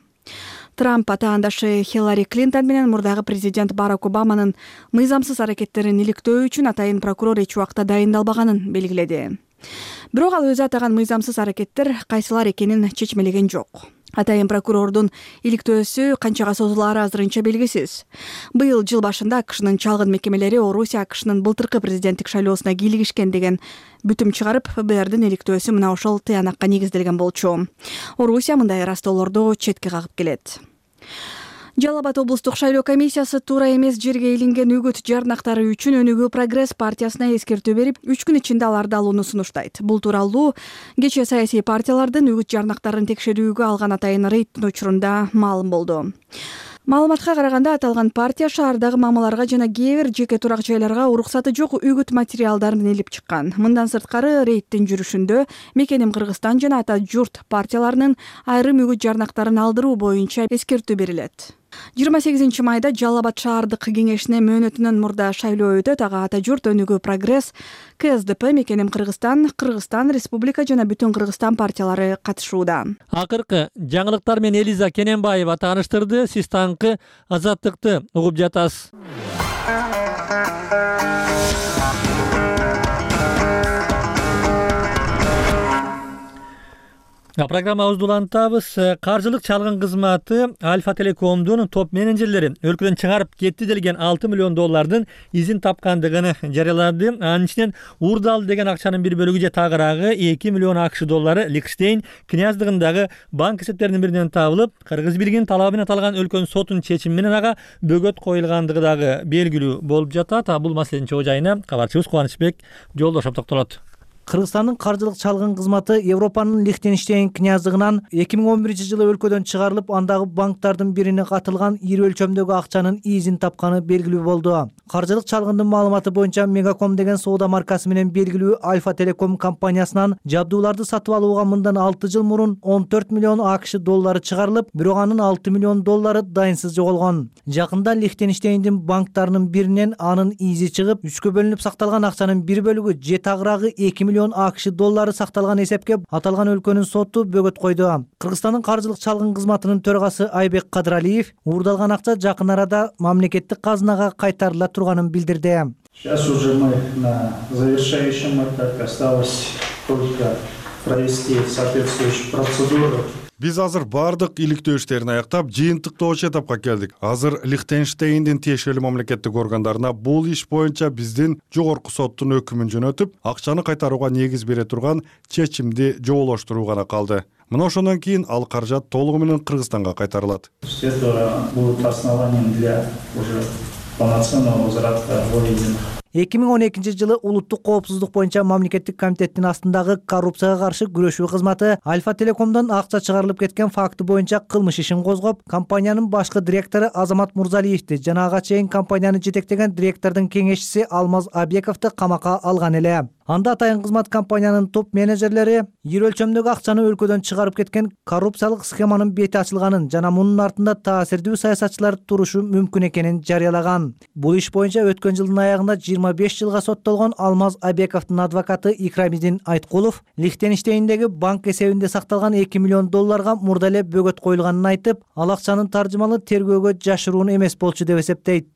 Трамп атаандашы Хиллари Клинтон менен мурдагы президент Барак Обаманын мыйзамсыз аракеттерин иликтөө үчүн атайын прокурор эч убакта дайындалбаганын белгиледи. Бирок ал өзү атаган мыйзамсыз аракеттер кайсылар экенин чечмелеген жок. Атайын прокурордун иликтөөсү канчага созулаары азырынча белгисиз. Быйыл жыл башында АКШнын чалгын мекемелери Орусия АКШнын былтыркы президенттик шайлоосуна кийлигишкен деген бүтүм чыгарып, ФБРдин иликтөөсү мына ошол тыянакка негизделген болчу. Орусия мындай ырастоолорду четке кагып келет. Жалал Абад облустук шайлоо комиссиясы туура эмес жерге илинген үгүт жарнактары үчүн Өнүгүү Прогресс партиясына эскертүү берип, үч күн ичинде аларды алууну сунуштайт. Бул тууралуу кечээ саясий партиялардын үгүт жарнактарын текшерүүгө алган атайын рейдтин учурунда маалым болду. Маалыматка караганда, аталган партия шаардагы мамаларга жана кээ бир жеке турак жайларга уруксаты жок үгүт материалдарын илип чыккан. Мындан сырткары рейдтин жүрүшүндө Мекеним Кыргызстан жана Ата журт партияларынын айрым үгүт жарнактарын алдыруу боюнча эскертүү берилет. жыйырма сегизинчи майда Жалал Абад шаардык кеңешине мөөнөтүнөн мурда шайлоо өтөт. Ага Ата журт, Өнүгүү Прогресс, КСДП, Мекеним Кыргызстан, Кыргызстан Республика жана Бүтүн Кыргызстан партиялары катышууда. Акыркы жаңылыктар менен Элиза Кененбаева тааныштырды. Сиз таңкы Азаттыкты угуп жатасыз. Программабызды улантабыз. Каржылык чалгын кызматы Альфа Телекомдун топ менеджерлери өлкөдөн чыгарып кетти делген алты миллион доллардын изин тапкандыгын жарыялады. Анын ичинен Урдал деген акчанын бир бөлүгү же тагыраагы эки миллион акш доллары Лихтенштейн князьдыгындагы банк эсептеринин биринен табылып, Кыргыз бийлигинин талабы менен аталган өлкөнүн сотунун чечими менен ага бөгөт коюлгандыгы дагы белгилүү болуп жатат. Бул маселенин чоо жайына кабарчыбыз Кубанычбек Жолдошов токтолот. Кыргызстандын каржылык чалгын кызматы Европанын Лихтенштейн князьдыгынан эки миң он биринчи жылы өлкөдөн чыгарылып, андагы банктардын бирине катылган ири өлчөмдөгү акчанын изин тапканы белгилүү болду. Каржылык чалгындын маалыматы боюнча Мегаком деген соода маркасы менен белгилүү Альфа Телеком компаниясынан жабдууларды сатып алууга мындан алты жыл мурун он төрт миллион акш доллары чыгарылып, бирок анын алты миллион доллары дайынсыз жоголгон. Жакында Лихтенштейндин банктарынын биринен анын изи чыгып, үчкө бөлүнүп сакталган акчанын бир бөлүгү же тагыраагы эки миллион акш доллары сакталган эсепке аталган өлкөнүн соту бөгөт койду. Кыргызстандын каржылык чалгын кызматынын төрагасы Айбек Кадыралиев урдалган акча жакын арада мамлекеттик казынага кайтарыла турганын билдирди. Сейчас уже мы на завершающем этапе, осталось только провести соответствующую процедуру. Биз азыр бардык иликтөө иштерин аяктап, жыйынтыктоочу этапка келдик. Азыр Лихтенштейндин тиешелүү мамлекеттик органдарына бул иш боюнча биздин жогорку соттун өкүмүн жөнөтүп, акчаны кайтарууга негиз бере турган чечимди жоболоштуруу гана калды. Мына ошондон кийин ал каражат толугу менен Кыргызстанга кайтарылат. Это будет основанием для уже полноценного возврата выведенных. эки миң он экинчи жылы улуттук коопсуздук боюнча мамлекеттик комитеттин астындагы коррупцияга каршы күрөшүү кызматы Альфа Телекомдон акча чыгарылып кеткен факты боюнча кылмыш ишин козгоп, компаниянын башкы директору Азамат Мурзалиевди жана ага чейин компанияны жетектеген директордун кеңешчиси Алмаз Абековду камакка алган эле. Анда атайын кызмат компаниянын топ менеджерлери ири өлчөмдөгү акчаны өлкөдөн чыгарып кеткен коррупциялык схеманын бети ачылганын жана мунун артында таасирдүү саясатчылар турушу мүмкүн экенин жарыялаган. Бул иш боюнча өткөн жылдын аягында жыйырма беш жылга соттолгон Алмаз Абековдун адвокаты Икрамидин Айткулов Лихтенштейндеги банк эсебинде сакталган эки миллион долларга мурда эле бөгөт коюлганын айтып, ал акчанын таржымалы тергөөгө жашыруун эмес болчу деп эсептейт.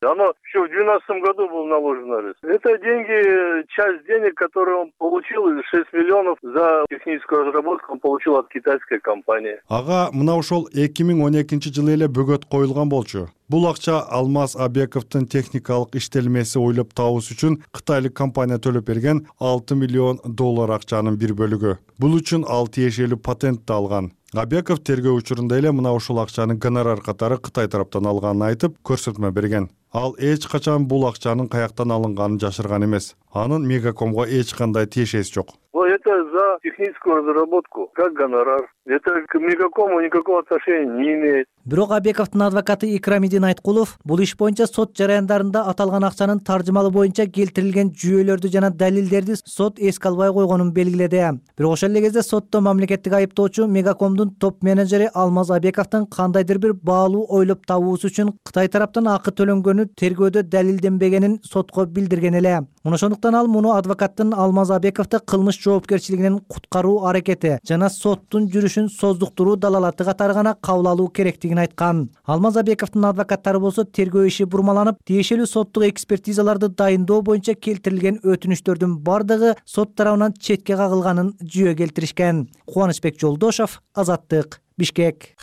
Оно еще в двенадцатом году был наложен арест. Это деньги, часть денег, которые он получил, шесть миллионов за техническую разработку он получил от китайской компании. Ага, мына ошол эки миң он экинчи жылы эле бөгөт коюлган болчу. Бул акча Алмаз Абековдун техникалык иштелмеси ойлоп табуш үчүн кытайлык компания төлөп берген алты миллион доллар акчанын бир бөлүгү. Бул үчүн ал тиешелүү патентти алган. Абеков тергөө учурунда эле мына ушул акчаны гонорар катары Кытай тараптан алганын айтып, көрсөтмө берген. Ал эч качан бул акчанын каяктан алынганын жашырган эмес. Анын Мегакомго эч кандай тиешеси жок. Это за техническую разработку, как гонорар. Это к Мегакому никакого отношения не имеет. Бирок Абековдун адвокаты Икрамидин Айткулов бул иш боюнча сот жараяндарында аталган акчанын таржымалы боюнча келтирилген жүйөлөрдү жана далилдерди сот эске албай койгонун белгиледи. Бирок ошол эле кезде сотто мамлекеттик айыптоочу Мегакомдун топ менеджери Алмаз Абековдун кандайдыр бир баалуу ойлоп табуусу үчүн Кытай тараптан акы төлөнгөнү тергөөдө далилденбегенин сотко билдирген эле. Ошондуктан ал муну адвокаттын Алмаз Абековду кылмыш жоопкерчилигинен кылган куткаруу аракети жана соттун жүрүшүн создуктуруу далалаты катары гана кабыл алуу керектигин айткан. Алмаз Абековдун адвокаттары болсо тергөө иши бурмаланып, тиешелүү соттук экспертизаларды дайындоо боюнча келтирилген өтүнүчтөрдүн бардыгы сот тарабынан четке кагылганын жүйө келтиришкен. Кубанычбек Жолдошов, Азаттык, Бишкек.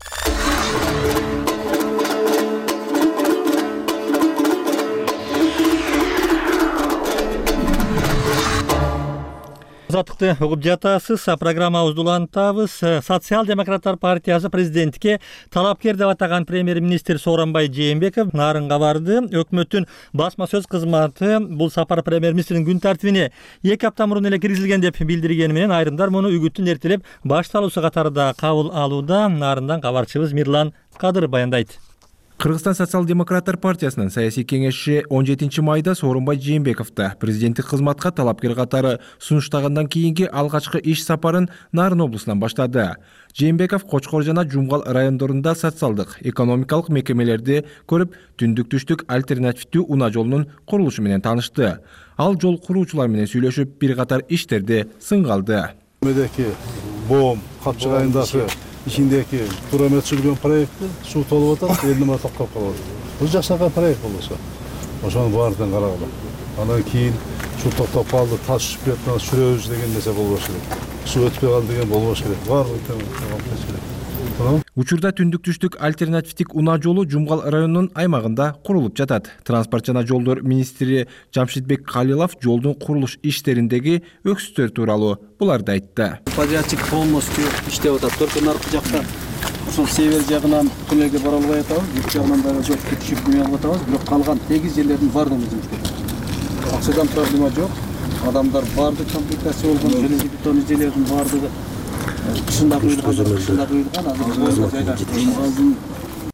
Азаттыкты угуп жатасыз. Программабызды улантабыз. Социал-демократтар партиясы президентке талапкер деп атаган премьер-министр Сооронбай Жээнбеков нарынга барды. Өкмөттүн басма сөз кызматы бул сапар премьер-министрдин күн тартибине эки апта мурун эле киргизилген деп билдиргени менен айрымдар муну үгүттүн эртелеп башталуусу катарында кабыл алууда. Нарындан кабарчыбыз Мирлан Кадыр баяндайт. Кыргызстан социал-демократтар партиясынын саясий кеңешчи он жетинчи майда Сооронбай Жээнбековду президенттик кызматка талапкер катары сунуштагандан кийинки алгачкы иш сапарын Нарын облусунан баштады. Жээнбеков Кочкор жана Жумгал райондорунда социалдык, экономикалык мекемелерди көрүп, түндүк-түштүк альтернативдүү унаа жолунун курулушу менен таанышты. Ал жол куруучулар менен сүйлөшүп, бир катар иштерди сынга алды. Медеки Бом, Капчык айындагы ичиндеги турамет сүргөн проектти суу толуп атат, элди мына токтоп калат. Бул жакшырган проект болсо, ошонун баардыгын карагыла. Андан кийин суу токтоп калды, таш түшүп кетти, сүрөбүз деген нерсе болбош керек. Суу өтпөй калды деген болбош керек. Баардыгы Учурда түндүк-түштүк альтернативдик унаа жолу Жумгал районунун аймагында курулуп жатат. Транспорт жана жолдор министри Жамшитбек Калилов жолдун курулуш иштериндеги өксүттөр тууралуу буларды айтты. Подрядчик полностью иштеп атат. Только наркы жакта ошол север жагынан түнөгө бара албай атабыз, бүт жагынан дагы жок түшүп куя алып атабыз. Бирок калган сегиз жерлердин баардыгын жұмыс істейт. Акчадан проблема жок. Адамдар баардык комплектация болгон, железобетон ижелердин баардыгы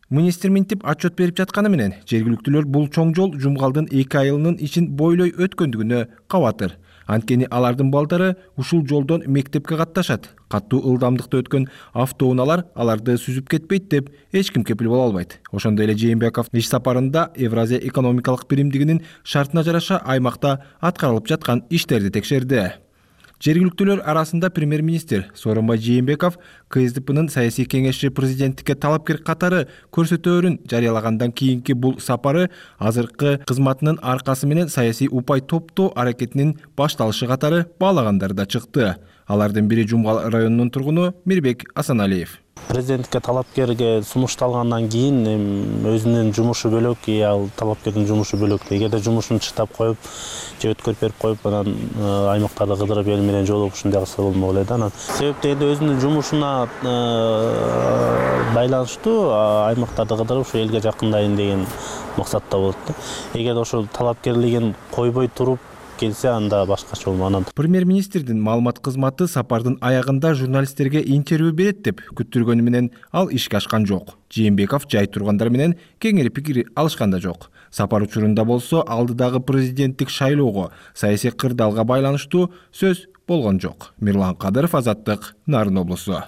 Министр минтип отчет берип жатканы менен жергиликтүүлөр бул чоң жол Жумгалдын эки айылынын ичин бойлой өткөндүгүнө кабатыр. Анткени алардын балдары ушул жолдон мектепке катташат. Каттуу ылдамдыкта өткөн автоунаалар аларды сүзүп кетпейт деп эч ким кепил боло албайт. Ошондой эле Жээнбеков иш сапарында Евразия экономикалык биримдигинин шартына жараша аймакта аткарылып жаткан иштерди текшерди. Жергиликтүүлөр арасында премьер-министр Сооронбай Жээнбеков КСДПнын саясий кеңешчи президенттикке талапкер катары көрсөтөөрүн жарыялагандан кийинки бул сапары азыркы кызматынын аркасы менен саясий упай топтоо аракетинин башталышы катары баалагандар да чыкты. Алардын бири Жумгал районунун тургуну Мирбек Асаналиев. Президентке талапкерге сунушталгандан кийин өзүнүн жумушу бөлөк, ал талапкердин жумушу бөлөк. Эгерде жумушун чыктап коюп, же өткөрүп берип коюп, анан аймактарда кыдырып эл менен жолугуп ушундай кылса болмок эле да. Анан себеп дегенде өзүнүн жумушуна байланыштуу аймактарда кыдырып ушу элге жакындайын деген максатта болот да. Эгерде ошол талапкерлигин койбой туруп келсе, анда башкача болмок. Премьер-министрдин маалымат кызматы сапардын аягында журналисттерге интервью берет деп күттүргөнү менен ал ишке ашкан жок. Жээнбеков жай тургандар менен кеңири пикир алышкан да жок. Сапар учурунда болсо алдыдагы президенттик шайлоого, саясий кырдаалга байланыштуу сөз болгон жок. Мирлан Кадыров, Азаттык, Нарын облусу.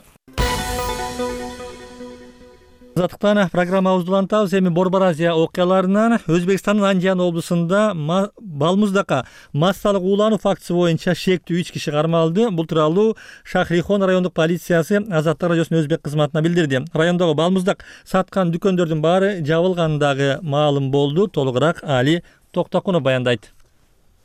Азаттыктан программабызды улантабыз. Эми Борбор Азия окуяларынан Өзбекстандын Анжан облусунда балмуздака массалык уулануу фактысы боюнча шектүү үч киши кармалды. Бул тууралуу Шахрихон райондук полициясы Азаттык радиосунун өзбек кызматына билдирди. Райондогу балмуздак саткан дүкөндөрдүн баары жабылгандагы маалым болду. Толугураак Али Токтокунов баяндайт.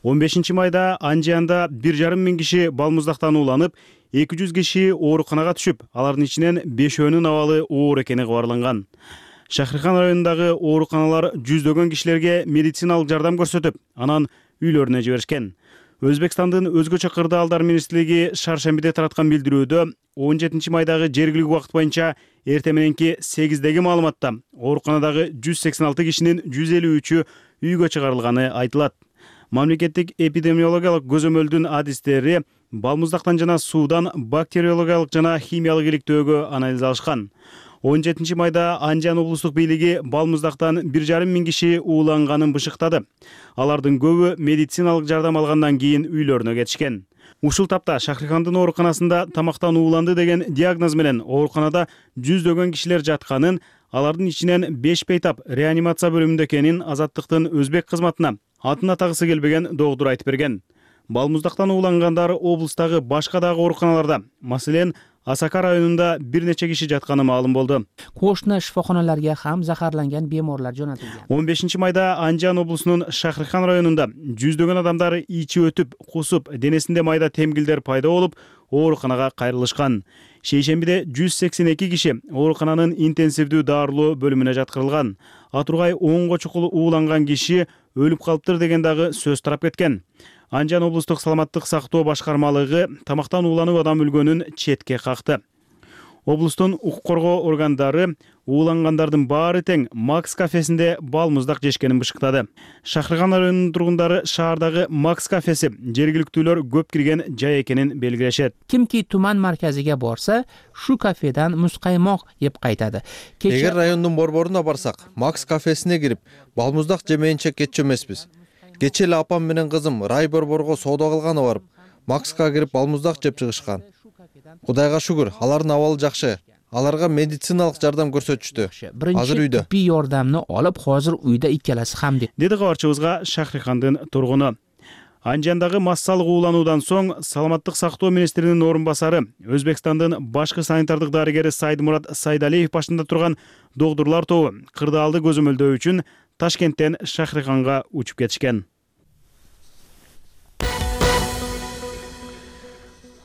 он бешинчи майда Анжанда бир жарым миң киши балмуздактан ууланып, эки жүз киши ооруканага түшүп, алардын ичинен бешөөнүн абалы оор экени кабарланган. Шахрихан районундагы ооруканалар жүздөгөн кишилерге медициналык жардам көрсөтүп, анан үйлөрүнө жиберишкен. Өзбекстандын өзгөчө кырдаалдар министрлиги шаршембиде тараткан билдирүүдө он жетинчи майдагы жергиликтүү убакыт боюнча эртең мененки сегиздеги маалыматта ооруканадагы жүз сексен алты кишинин жүз элүү үчү үйгө чыгарылганы айтылат. Мамлекеттик эпидемиологиялык көзөмөлдүн адистери балмуздактан жана суудан бактериологиялык жана химиялык иликтөөгө анализ алышкан. он жетинчи майда Анжан облустук бийлиги балмуздактан бир жарым миң киши ууланганын бышыктады. Алардын көбү медициналык жардам алгандан кийин үйлөрүнө кетишкен. Ушул тапта Шахрихандын ооруканасында тамактан ууланды деген диагноз менен ооруканада жүздөгөн кишилер жатканын, алардын ичинен беш бейтап реанимация бөлүмүндө экенин Азаттыктын өзбек кызматына атын атагысы келбеген доктур айтып берген. балмуздактан уулангандар облустагы башка дагы ооруканаларда, маселен Асака районунда бир нече киши жатканы маалым болду. Кошуна шифоканаларга ham захарланган беморлар жөнөтүлгөн. он бешинчи майда Анжан облусунун Шахрихан районунда жүздөгөн адамдар ичи өтүп, кусуп, денесинде майда темгилдер пайда болуп, ооруканага кайрылышкан. Шейшембиде жүз сексен эки киши оорукананын интенсивдүү дарылоо бөлүмүнө жаткырылган. Атургай онго чукул ууланган киши өлүп калыптыр деген дагы сөз тарап кеткен. Анжан облустук саламаттык сактоо башкармалыгы тамактан ууланып адам өлгөнүн четке какты. Облустун укук коргоо органдары уулангандардын баары тең Макс кафесинде балмуздак жешкенин бышыктады. Шахриган районунун тургундары шаардагы Макс кафеси жергиликтүүлөр көп кирген жай экенин белгилешет. Кимки туман марказиге борса, шу кафедан муз каймок жеп кайтады. Эгер райондун борборуна барсак, Макс кафесине кирип, балмуздак жемейинче кетчү эмеспиз. Кечээ эле апам менен кызым рай борборго соода кылганы барып, Макска кирип балмуздак жеп чыгышкан. Кудайга шүгүр, алардын абалы жакшы. Аларга медициналык жардам көрсөтүштү. Азыр үйдө. Тиббий жардамны алып, азыр үйдө иккелеси ham деп. Деди кабарчыбызга Шахрихандын тургуну. Анжандагы массалык уулануудан соң саламаттык сактоо министринин орун басары, Өзбекстандын башкы санитардык дарыгери Сайдмурат Сайдалиев башында турган докторлор тобу кырдаалды көзөмөлдөө үчүн Ташкенттен Шахриханга учуп кетишкен.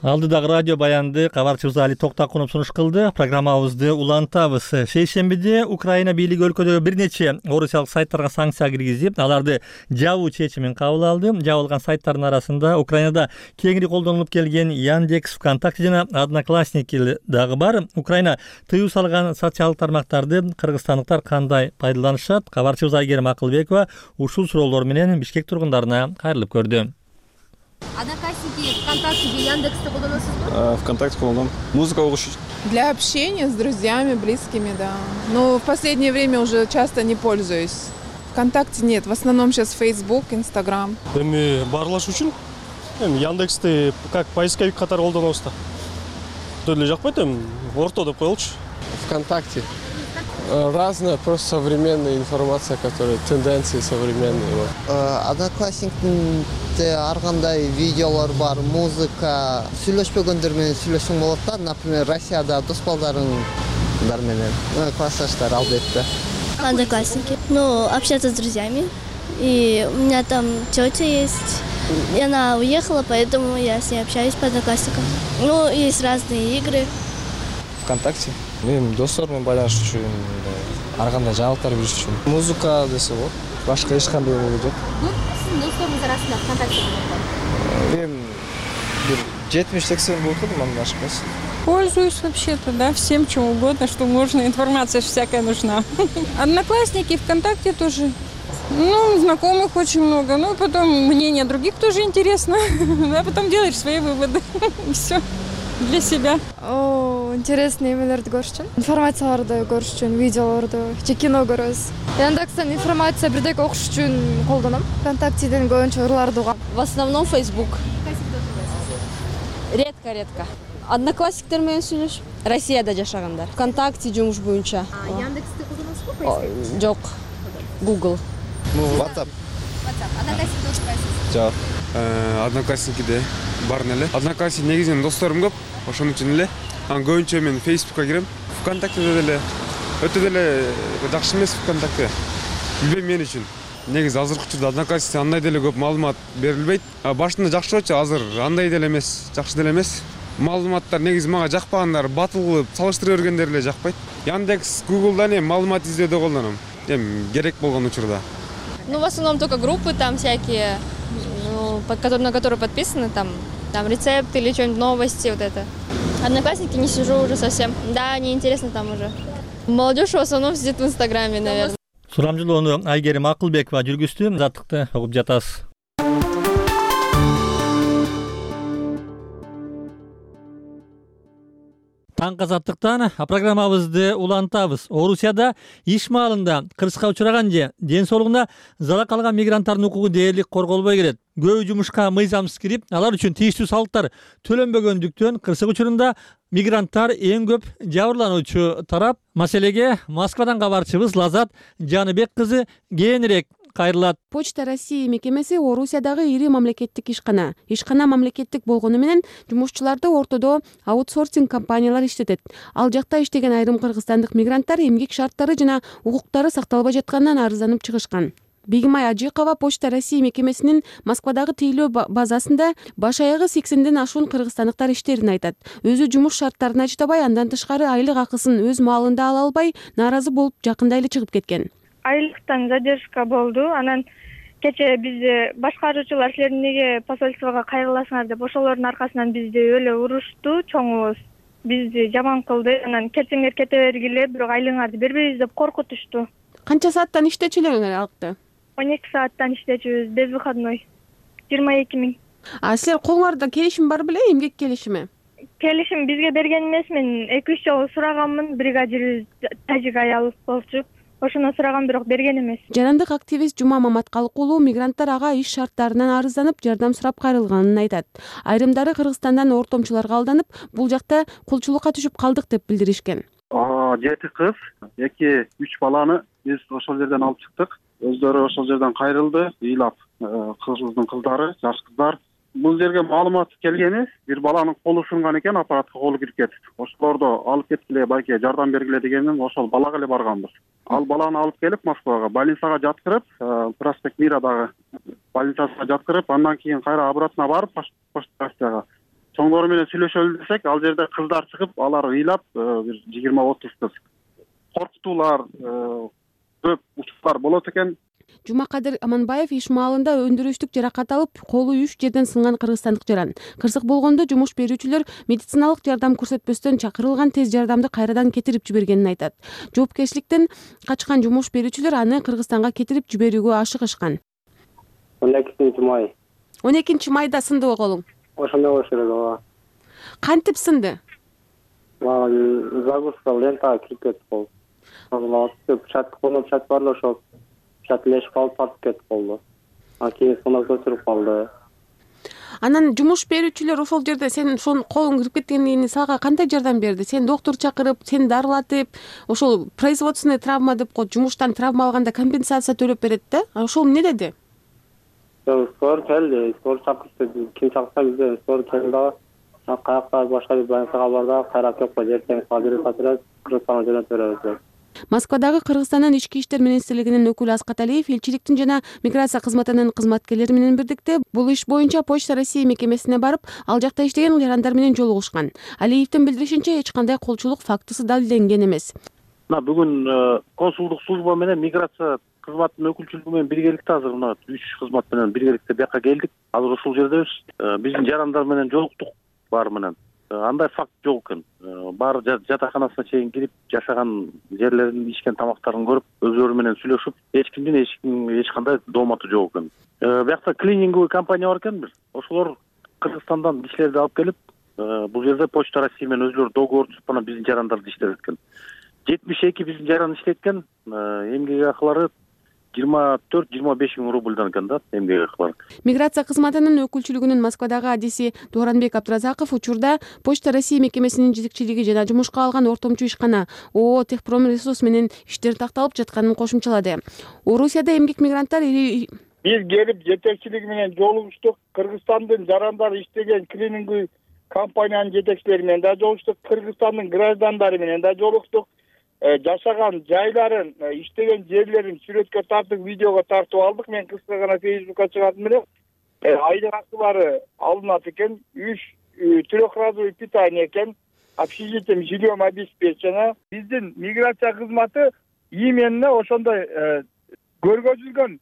Алдыдагы радио баянды кабарчыбыз Али Токтакунов сунуш кылды. Программабызды улантабыз. Шейшембиде Украина бийлиги өлкөдөгү бир нече орусиялык сайттарга санкция киргизип, аларды жабуу чечимин кабыл алды. Жабылган сайттардын арасында Украинада кеңири колдонулуп келген Яндекс, ВКонтакте жана Одноклассники дагы бар. Украина тыюу салган социалдык тармактарды кыргызстандыктар кандай пайдаланышат? Кабарчыбыз Айгерим Акылбекова ушул суроолор менен Бишкек тургундарына кайрылып көрдү. Одноклассники, ВКонтакте, Яндексте колдоносузбу? ВКонтакте колдонам. Музыка угуш. Для общения с друзьями, близкими, да. Но в последнее время уже часто не пользуюсь. ВКонтакте нет, в основном сейчас Facebook, Instagram. Эми барлаш үчүн эми Яндексти как поисковик катары колдонобуз да. Төл эле жакпайт эми орто деп коелучу. ВКонтакте разная, просто современная информация, которая тенденции современные. Одноклассникте ар кандай видеолор бар, музыка. Сүйлөшпөгөндөр менен сүйлөшүң болот да, например, Россияда дос балдарыңдар менен, классташтар албетте. Одноклассники. Ну, общаться с друзьями. И у меня там тетя есть. И она уехала, поэтому я с ней общаюсь по Одноклассникам. Ну, есть разные игры. ВКонтакте. Мен достор менен байланыш үчүн, ар кандай жаңылыктар билиш үчүн. Музыка десе болот. Башка эч кандай жок. Ну, сиздин досторуңуз арасында ВКонтакте бар. Мен бир жетимиш сексен болот да, мындан ашык эмес. Пользуюсь вообще-то, да, всем чем угодно, что можно, информация всякая нужна. Одноклассники, ВКонтакте тоже. Ну, знакомых очень много, ну, потом мнение других тоже интересно, а потом делаешь свои выводы, все. Для себя. О, интересный эмелерди көрүш үчүн, информацияларды көрүш үчүн, видеолорду, же кино көрөбүз. Яндекстен информация бирдеке окуш үчүн колдоном. ВКонтактеден көбүнчө ырларды угам. В основном Facebook. Редко-редко. Одноклассниктер менен сүйлөшүп, Россияда жашагандар. ВКонтакте жумуш боюнча. Яндексти колдоносузбу? Жок. Google. WhatsApp. WhatsApp. Одноклассники отурбайсыз? Жок. Одноклассники бардын эле. Одноклассник негизинен досторум көп, ошон үчүн эле. Анан көбүнчө мен Facebookка кирем. ВКонтактеде деле өтө деле жакшы эмес ВКонтакте. Билбейм мен үчүн. Негизи азыркы учурда Одноклассникте андай деле көп маалымат берилбейт. Башында жакшы болчу, азыр андай деле эмес, жакшы деле эмес. Маалыматтар негизи мага жакпагандар, батыл кылып салыштыра бергендер эле жакпайт. Яндекс, Google'дан эми маалымат издөөдө колдоном. Эми керек болгон учурда. Ну, в основном только группы там всякие, ну, под которые, на которые подписаны, там, там рецепты или что-нибудь, новости, вот это. Одноклассники не сижу уже совсем. Да, неинтересно там уже. Молодежь в основном сидит в Инстаграме, наверное. Сурамжылоону Айгерим Акылбекова жүргүздү. Заттыкты угуп жатасыз. Таңкы азаттыктан программабызды улантабыз. Орусияда иш маалында кырсыкка учураган же ден соолугуна залал алган мигранттардын укугу дээрлик корголбой келет. Көбү жумушка мыйзамсыз кирип, алар үчүн тийиштүү салыктар төлөнбөгөндүктөн кырсык учурунда мигранттар эң көп жабырлануучу тарап. Маселеге Москвадан кабарчыбыз Лазат Жаныбек кызы кээинирээк кайрылат. Почта России мекемеси Орусиядагы ири мамлекеттик ишкана. Ишкана мамлекеттик болгону менен жумушчуларды ортодо аутсорсинг компаниялар иштетет. Ал жакта иштеген айрым кыргызстандык мигранттар эмгек шарттары жана укуктары сакталбай жатканынан арызданып чыгышкан. Бегимай Ажикова Почта России мекемесинин Москвадагы тейлөө базасында баш аягы сексенден ашуун кыргызстандыктар иштерин айтат. Өзү жумуш шарттарына чыдабай, андан тышкары айлык акысын өз маалында ала албай, нааразы болуп жакында эле чыгып кеткен. Айлыктан задержка болду. Анан кече бизди башкаруучулар силер эмнеге посольствого кайрыласыңар деп ошолордун аркасынан бизди өлө урушту, чоңубуз. Бизди жаман кылды. Анан кетсеңер кете бергиле, бирок айлыгыңарды бербейбиз деп коркутушту. Канча сааттан иштечүлөрүңөр алыкты? он эки сааттан иштечүбүз, безвыходной. жыйырма эки миң. А силер колуңарда келишим бар беле, эмгек келишими? Келишим бизге берген эмес, мен эки үч жолу сураганмын, бригадирибиз тажик аял болчу. Ошону сураган, бирок берген эмес. Жарандык активист Жума Маматкалык уулу мигранттар ага иш шарттарынан арызданып, жардам сурап кайрылганын айтат. Айрымдары Кыргызстандан ортомчуларга алданып, бул жакта кулчулукка түшүп калдык деп билдиришкен. Жети кыз, эки үч баланы биз ошол жерден алып чыктык. Өздөрү ошол жерден кайрылды, ыйлап, кызыбыздын кыздары, жаш кыздар. Бул жерге маалымат келгени, бир баланын колу сынган экен, аппаратка колу кирип кетип. Ошолорду алып кеткиле, байке жардам бергиле дегенин ошол балага эле барганбыз. Ал баланы алып келип Москвага, больницага жаткырып, Проспект Мирадагы больницасына жаткырып, андан кийин кайра обратно барып, Почта чоңдору менен сүйлөшөлү десек, ал жерде кыздар чыгып, алар ыйлап, бир жыйырма отуз кыз. Коркутуулар, көп учурлар болот экен. Жумакадыр Аманбаев иш маалында өндүрүштүк жаракат алып, колу үч жерден сынган кыргызстандык жаран. Кырсык болгондо жумуш берүүчүлөр медициналык жардам көрсөтпөстөн чакырылган тез жардамды кайрадан кетирип жибергенин айтат. Жоопкерчиликтен качкан жумуш берүүчүлөр аны Кыргызстанга кетирип жиберүүгө ашыгышкан. он экинчи май. он экинчи майда сындыбы колуң? Ошондой болуш керек, ооба. Кантип сынды? Загрузка лентага кирип кетип калды. Печать колуна печать бар эле, ошол печать лешип калып тартып кетип калды. Анан кийин сынок көтөрүп калды. Анан жумуш берүүчүлөр ошол жерде сен ошол колуң кирип кеткенден кийин сага кандай жардам берди? Сен доктур чакырып, сени дарылатып, ошол производственный травма деп коет, жумуштан травма алганда компенсация төлөп берет да? Ошол эмне деди? Скор келди, скор чакырды. Ким чакырса бизде скор келди дагы. Каякта башка бир больницага барды, кайра келип калды. Эртең саат бир саатта Кыргызстанга жөнөтүп беребиз. Москвадагы Кыргызстандын ички иштер министрлигинин өкүлү Аскат Алиев элчиликтин жана миграция кызматынын кызматкерлери менен бирдикте бул иш боюнча Почта России мекемесине барып, ал жакта иштеген жарандар менен жолугушкан. Алиевдин билдиришинче, эч кандай колчулук фактысы далилденген эмес. Мына бүгүн консулдук служба менен миграция кызматынын өкүлчүлүгү менен биргеликте азыр мына үч кызмат менен биргеликте бияка келдик. Азыр ушул жердебиз. Биздин жарандар менен жолуктук баары менен. Андай факт жок экен. Баары жатаканасына чейин кирип, жашаган жерлерин, ичкен тамактарын көрүп, өзүлөрү менен сүйлөшүп, эч кимдин эч ким эч кандай доомату жок экен. Биякта клининговый компания бар экен бир. Ошолор Кыргызстандан кишилерди алып келип, бул жерде Почта Россия менен өзүлөрү договор түзүп, анан биздин жарандарды иштеткен. жетимиш эки биздин жаран иштеткен, эмгек акылары жыйырма төрт жыйырма беш миң рубльдан экен да, эмгек акылары. Миграция кызматынын өкүлчүлүгүнүн Москвадагы адиси Дооранбек Абдуразаков учурда Почта России мекемесинин жетекчилиги жана жумушка алган ортомчу ишкана ООО Техпромресурс менен иштер такталып жатканын кошумчалады. Орусияда эмгек мигранттар биз келип жетекчилиги менен жолугуштук. Кыргызстандын жарандары иштеген клининговый компаниянын жетекчилери менен да жолугуштук. Кыргызстандын граждандары менен да жолугуштук. Жашаган жайларын, иштеген жерлерин сүрөткө тартып, видеого тартып алдык. Мен кыска гана Facebookка чыгардым эле. Айлык акылары алынат экен, үч трехразовый питание экен, общежитием, жильем обеспечено. Биздин миграция кызматы именно ошондой көргөзүлгөн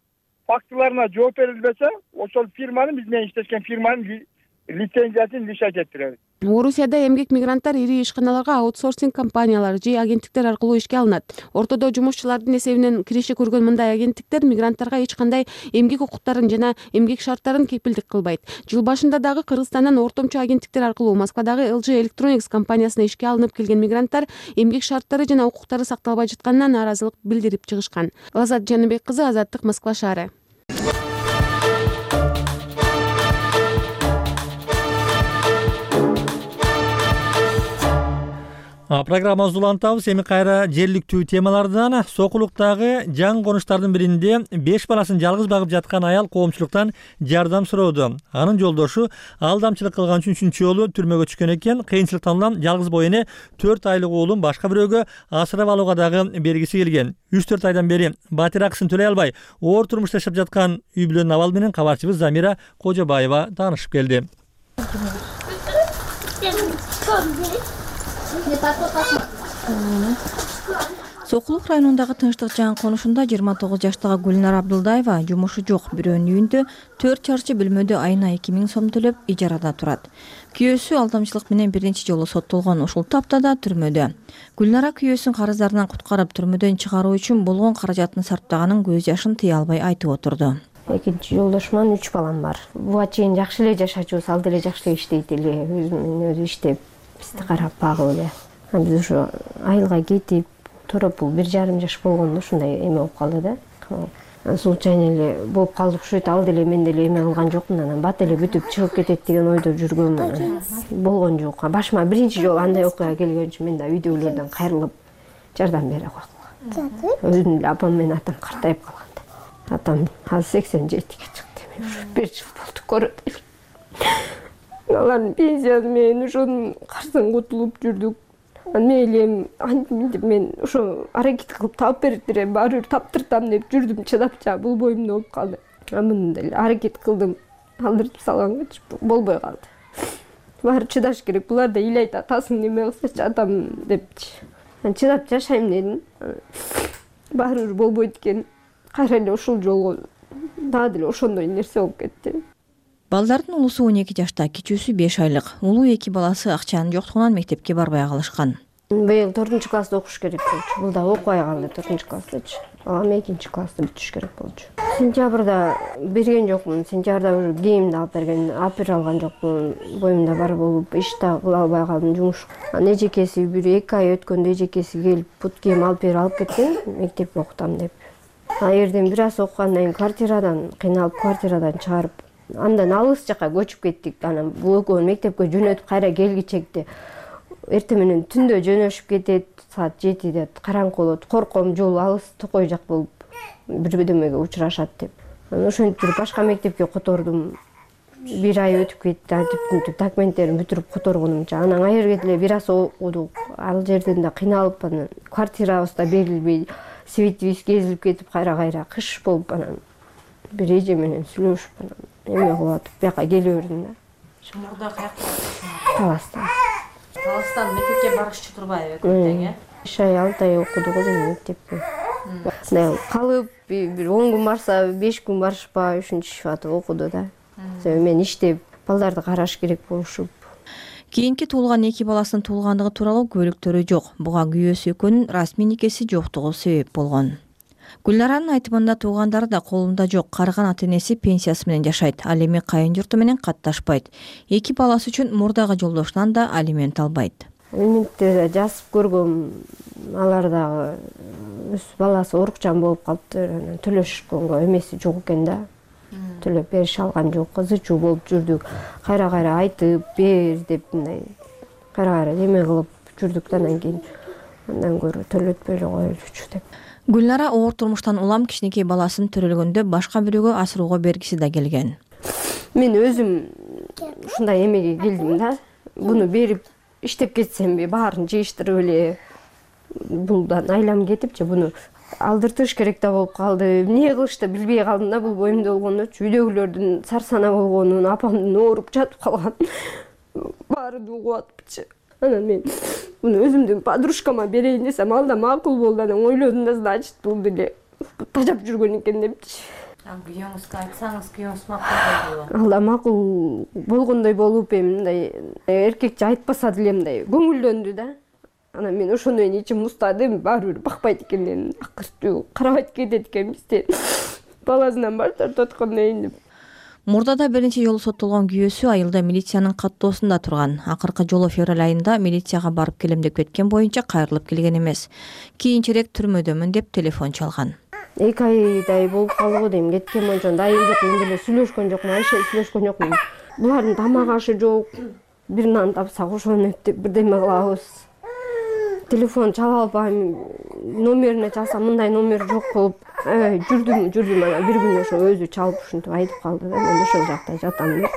фактыларына жооп берилбесе, ошол фирманын, биз менен иштешкен фирманын лицензиясын лишать этtirебиз. Орусияда эмгек мигранттар ири ишканаларга аутсорсинг компаниялар же агенттиктер аркылуу ишке алынат. Ортодо жумушчулардын эсебинен киреше көргөн мындай агенттиктер мигранттарга эч кандай эмгек укуктарын жана эмгек шарттарын кепилдик кылбайт. Жыл башында дагы Кыргызстандан ортомчу агенттиктер аркылуу Москвадагы эл джи Electronics компаниясына ишке алынып келген мигранттар эмгек шарттары жана укуктары сакталбай жатканына нааразылык билдирип чыгышкан. Азат Жаныбек кызы, Азаттык, Москва шаары. Программабызды улантабыз. Эми кайра жергиликтүү темалардан. Сокулуктагы жаң конуштардын биринде беш баласын жалгыз багып жаткан аял коомчулуктан жардам сурооду. Анын жолдошу алдамчылык кылган үчүн үчүнчү жолу түрмөгө түшкөн экен. Кыйынчылыктан улам жалгыз боо эне төрт айлык уулун башка бирөөгө асырап алууга дагы бергиси келген. үч төрт айдан бери батир акысын төлөй албай оор турмушта жашап жаткан үй бүлөнүн абалы менен кабарчыбыз Замира Кожобаева таанышып келди. Сокулук районундагы Тынчтык жаңы конушунда жыйырма тогуз жаштагы Гүлнар Абдулдаева жумушу жок бирөөнүн үйүндө төрт чарчы бөлмөдө айына эки миң сом төлөп ижарада турат. Күйөөсү алдамчылык менен биринчи жолу соттолгон ушул таптада түрмөдө. Гүлнара күйөөсүн карыздарынан куткарып түрмөдөн чыгаруу үчүн болгон каражатын сарптаганын көз жашын тыя албай айтып отурду. Экинчи жолдошум менен үч балам бар. Буга чейин жакшы эле жашачубуз, ал деле жакшы эле иштейт эле, өзү менен өзү иштеп, бизди карап багып эле. Биз ушу айылга кетип, туруп бул бир жарым жаш болгондо ушундай эме болуп калды да. Случайно эле болуп калды ушут, ал деле мен деле эме кылган жокмун, анан бат эле бүтүп чыгып кетет деген ойдо жүргөмүн. Болгон жок. Башыма биринчи жолу андай окуя келген үчүн мен да үйдөгүлөрдөн кайрылып жардам бере койгум. Өзүм деле апам менен атам картайып калган. Атам азыр сексен жетиге чыкты. Мен ушу бир жыл болду көрөт. Алардын пенсиясы менен ошонун карсынан кутулуп жүрдүк. Мейлем антип мен ошо аракет кылып таап бериптир, баары бир таптыртам деп жүрдүм, чыдап жа болбойм болуп калды. Муну деле аракет кылдым, алдыртып салганга болбой калды. Баары чыдаш керек, булар да ыйлайт, атасың неме кылсачы атам депчи. Мен чыдап жашайм дедим. Баары бир болбойт экен. Кайра эле ушул жолго дагы деле ошондой нерсе болуп кетти. Балдардын улусу он эки жашта, кичүүсү беш айлык. Улуу эки баласы акчанын жоктугунан мектепке барбай калышкан. Быйыл төртүнчү класста окуш керек болчу. Бул да окубай калды төртүнчү класстачы. Балам экинчи класста бүтүш керек болчу. Сентябрда берген жокмун. Сентябрда уже кийимди алып берген, апер алган жокмун. Боюмда бар болуп, иш да кыла албай калдым, жумуш. Анан эжекеси бир эки ай өткөндө эжекеси келип, бут кийим алып берип алып кеткен, мектепке окутам деп. А эрден бир аз окугандан кийин квартирадан кыйналып, квартирадан чыгарып, андан алыс жака көчүп кеттик. Анан бул экөөнү мектепке жөнөтүп кайра келгичекти. Эртең менен түндө жөнөшүп кетет, саат жетиде караңкы болот. Корком, жол алыс, токой жак болуп бир бирдемеге учурашат деп. Анан ошентип жүрүп башка мектепке котордум. Бир ай өтүп кетти, антип документтерин бүтүрүп которгонумча. Анан айырга деле бир аз окудук. Ал жерден да кыйналып, анан квартирабыз да берилбей, светибиз кезилип кетип, кайра-кайра кыш болуп, анан бир эже менен сүйлөшүп, анан эме кылып атып, бияка келе бердим да. Мурда каякта? Таласта. Таластан мектепке барышчы турбайбы тең, э? Үч ай, алты ай окудук эле мектепке. Мындай калып, бир он күн барса, беш күн барышпай, ушунча атып окуду да. Себеби мен иштеп, балдарды караш керек болушуп. Кийинки туулган эки баласынын туулгандыгы тууралуу күбөлүктөрү жок. Буга күйөөсү экөөнүн расмий никеси жоктугу себеп болгон. Гүлнаранын айтымында туугандары да колунда жок, карыган ата-энеси пенсиясы менен жашайт. Ал эми кайын журту менен катташпайт. Эки баласы үчүн мурдагы жолдошунан да алимент албайт. Алиментти жазып көргөм, алар дагы өз баласы оорукчан болуп калыптыр, анан төлөшкөнгө эмеси жок экен да. Төлөп берише алган жок, ызы чуу болуп жүрдүк. Кайра-кайра айтып бер деп мындай кайра-кайра эме кылып жүрдүк да, анан кийин андан көрө төлөтпөй эле коелучу деп. Гүлнара оор турмуштан улам кичинекей баласын төрөлгөндө башка бирөөгө асырууга бергиси да келген. Мен өзүм ушундай эмеге келдим да. Буну берип иштеп кетсемби, баарын жыйыштырып эле булдан айлам кетипчи, буну алдыртыш керек да болуп калды. Эмне кылышты билбей калдым да, бул боюмда болгондочу. Үйдөгүлөрдүн сарсана болгонун, апамдын ооруп жатып калган баарын угуп атыпчы. Анан мен буну өзүмдүн подружкама берейин десем, ал да макул болду. Анан ойлодум да, значит, бул деле тажап жүргөн экен депчи. Күйөөңүзгө айтсаңыз, күйөөңүз макул болду. Ал да макул болгондой болуп, эми мындай эркекче айтпаса деле мындай көңүлдөндү да. Анан мен ошондон кийин ичим муздадым, баары бир бакпайт экен дедим. Акыртуу карабайт кетет экен бизди. Баласынан баш тартып аткандан кийин деп. Мурдада биринчи жолу соттолгон күйөөсү айылда милициянын каттоосунда турган. Акыркы жолу февраль айында милицияга барып келем деп кеткен боюнча кайрылып келген эмес. Кийинчерээк түрмөдөмүн деп телефон чалган. Эки айдай болуп калды го дейм, кеткен боюнча дайым жок, мен деле сүйлөшкөн жокмун, Айша сүйлөшкөн жокмун. Булардын тамак ашы жок. Бир нан тапсак ошону деп бирдеме кылабыз. телефон чала албайм, номерине чалсам мындай номер жок болуп жүрдүм жүрдүм анан бир күн ошо өзү чалып ушинтип айтып калды да, мен ошол жакта жатам.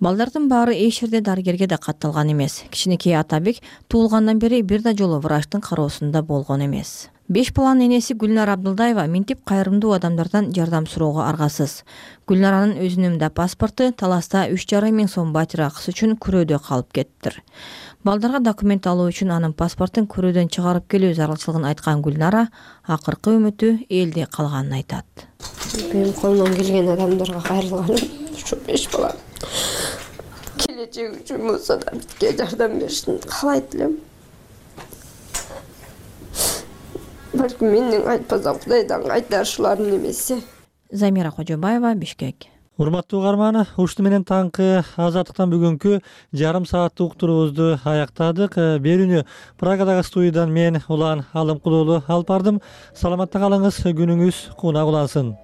Балдардын баары эч жерде дарыгерге да катталган эмес. Кичинекей Атабек туулгандан бери бир да жолу врачтын кароосунда болгон эмес. Беш баланын энеси Гүлнар Абдылдаева минтип кайрымдуу адамдардан жардам суроого аргасыз. Гүлнаранын өзүнүн да паспорту Таласта үч жарым миң сом батир акысы үчүн күрөөдө калып кеттир. Балдарга документ алуу үчүн анын паспортун күрөөдөн чыгарып келүү зарылчылыгын айткан Гүлнара акыркы үмүтү элде калганын айтат. Менин колумдан келген адамдарга кайрылганым ушу беш бала келечеги үчүн болсо да бизге жардам беришин каалайт элем. Балким менден айтпасам Кудайдан кайтарышулардын эмеси. Замира Кожобаева, Бишкек. Урматтуу угарман, ушуну менен таңкы Азаттыктан бүгүнкү жарым сааттык уктуруубузду аяктадык. Берүүнү Прагадагы студиядан мен Улан Алымкулуулу алып бардым. Саламатта калыңыз, күнүңүз кунак улансын.